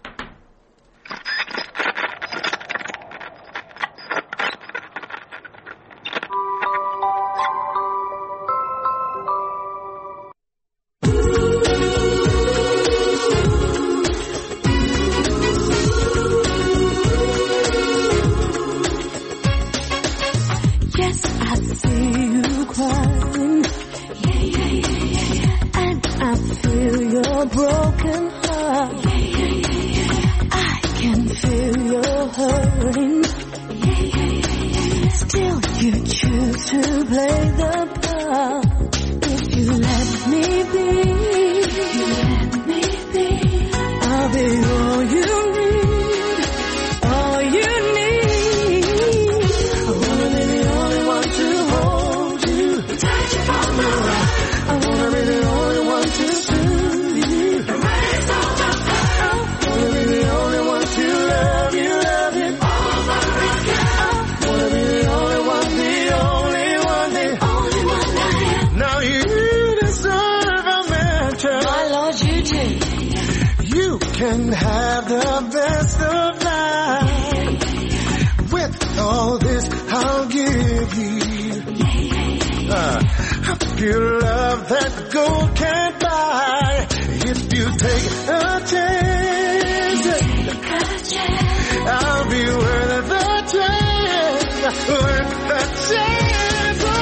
Broken heart. I can feel your hurting. Still you choose to play the part. If you let me be, I'll be all you need, all you need. I wanna be the only one to hold you, touch you from the right. I wanna be the only one to soothe you. can have the best of life. With all this I'll give you. Pure love that gold can't buy. If you take a chance, I'll be worth the chance, worth the chance. Oh,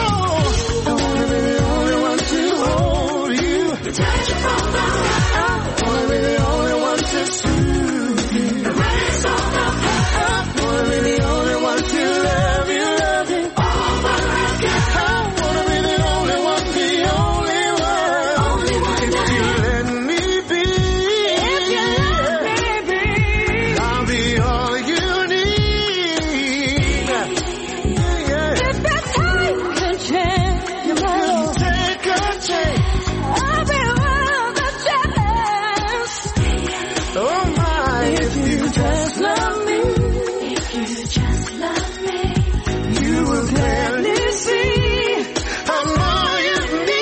I wanna be the only one to hold you, touch you from the right. I wanna be the only one to soothe you, erase all the past. I wanna be the only one to love you over again. I wanna be the only one, the only one. If you let me be, if you let me be, I'll be all you need. Yeah. If you take a chance, you will take a chance. I'll be worth the chance. Oh my, if you just love me, if you just love me, you will clearly see I'm all you need.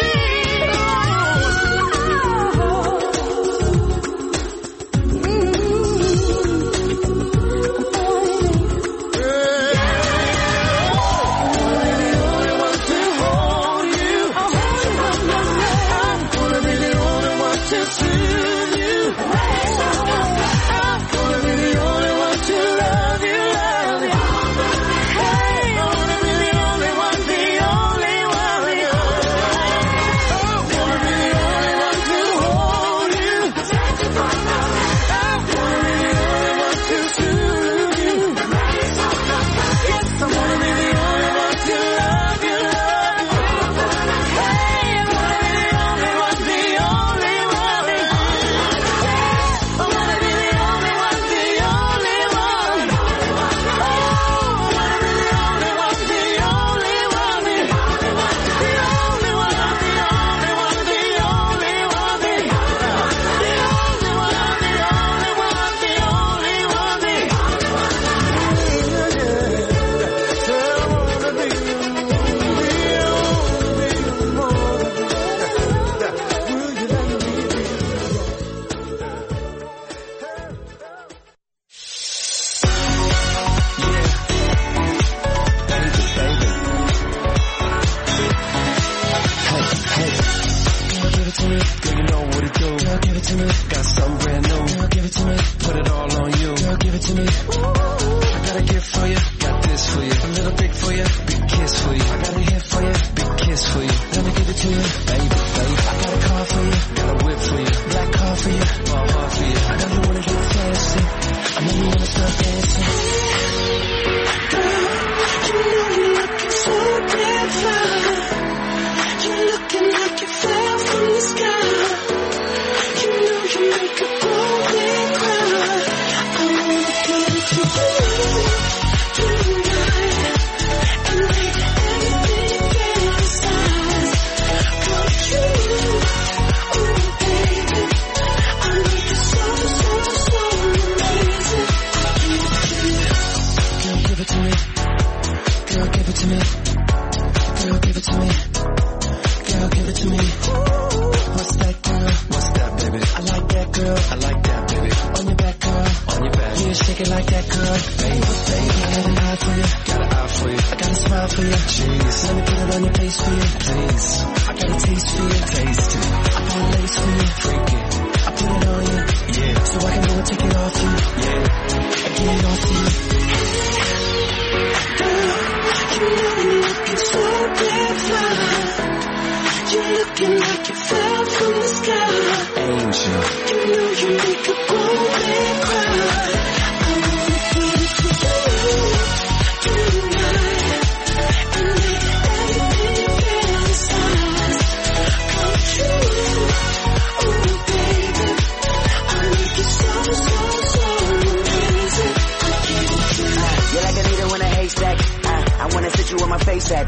I wanna see at you where my face at.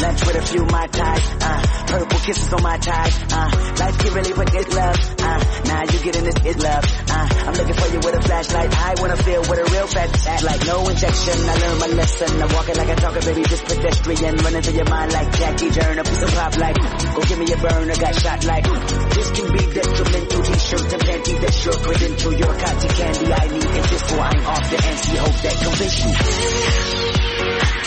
Lunch with a few my ties. Purple kisses on my ties. Life can really put this love. Now you getting this is love. I'm looking for you with a flashlight. I wanna feel what a real fat's at. Like no injection, I learned my lesson. I'm walking like I talk, baby, just pedestrian. Running through your mind like Jackie Turner. A piece of pop like, go give me a burner, got shot like. This can be detrimental. T-shirt and panty, that's your credential. Your cotton candy, I need it just so I'm off the NC. Hope that convince you.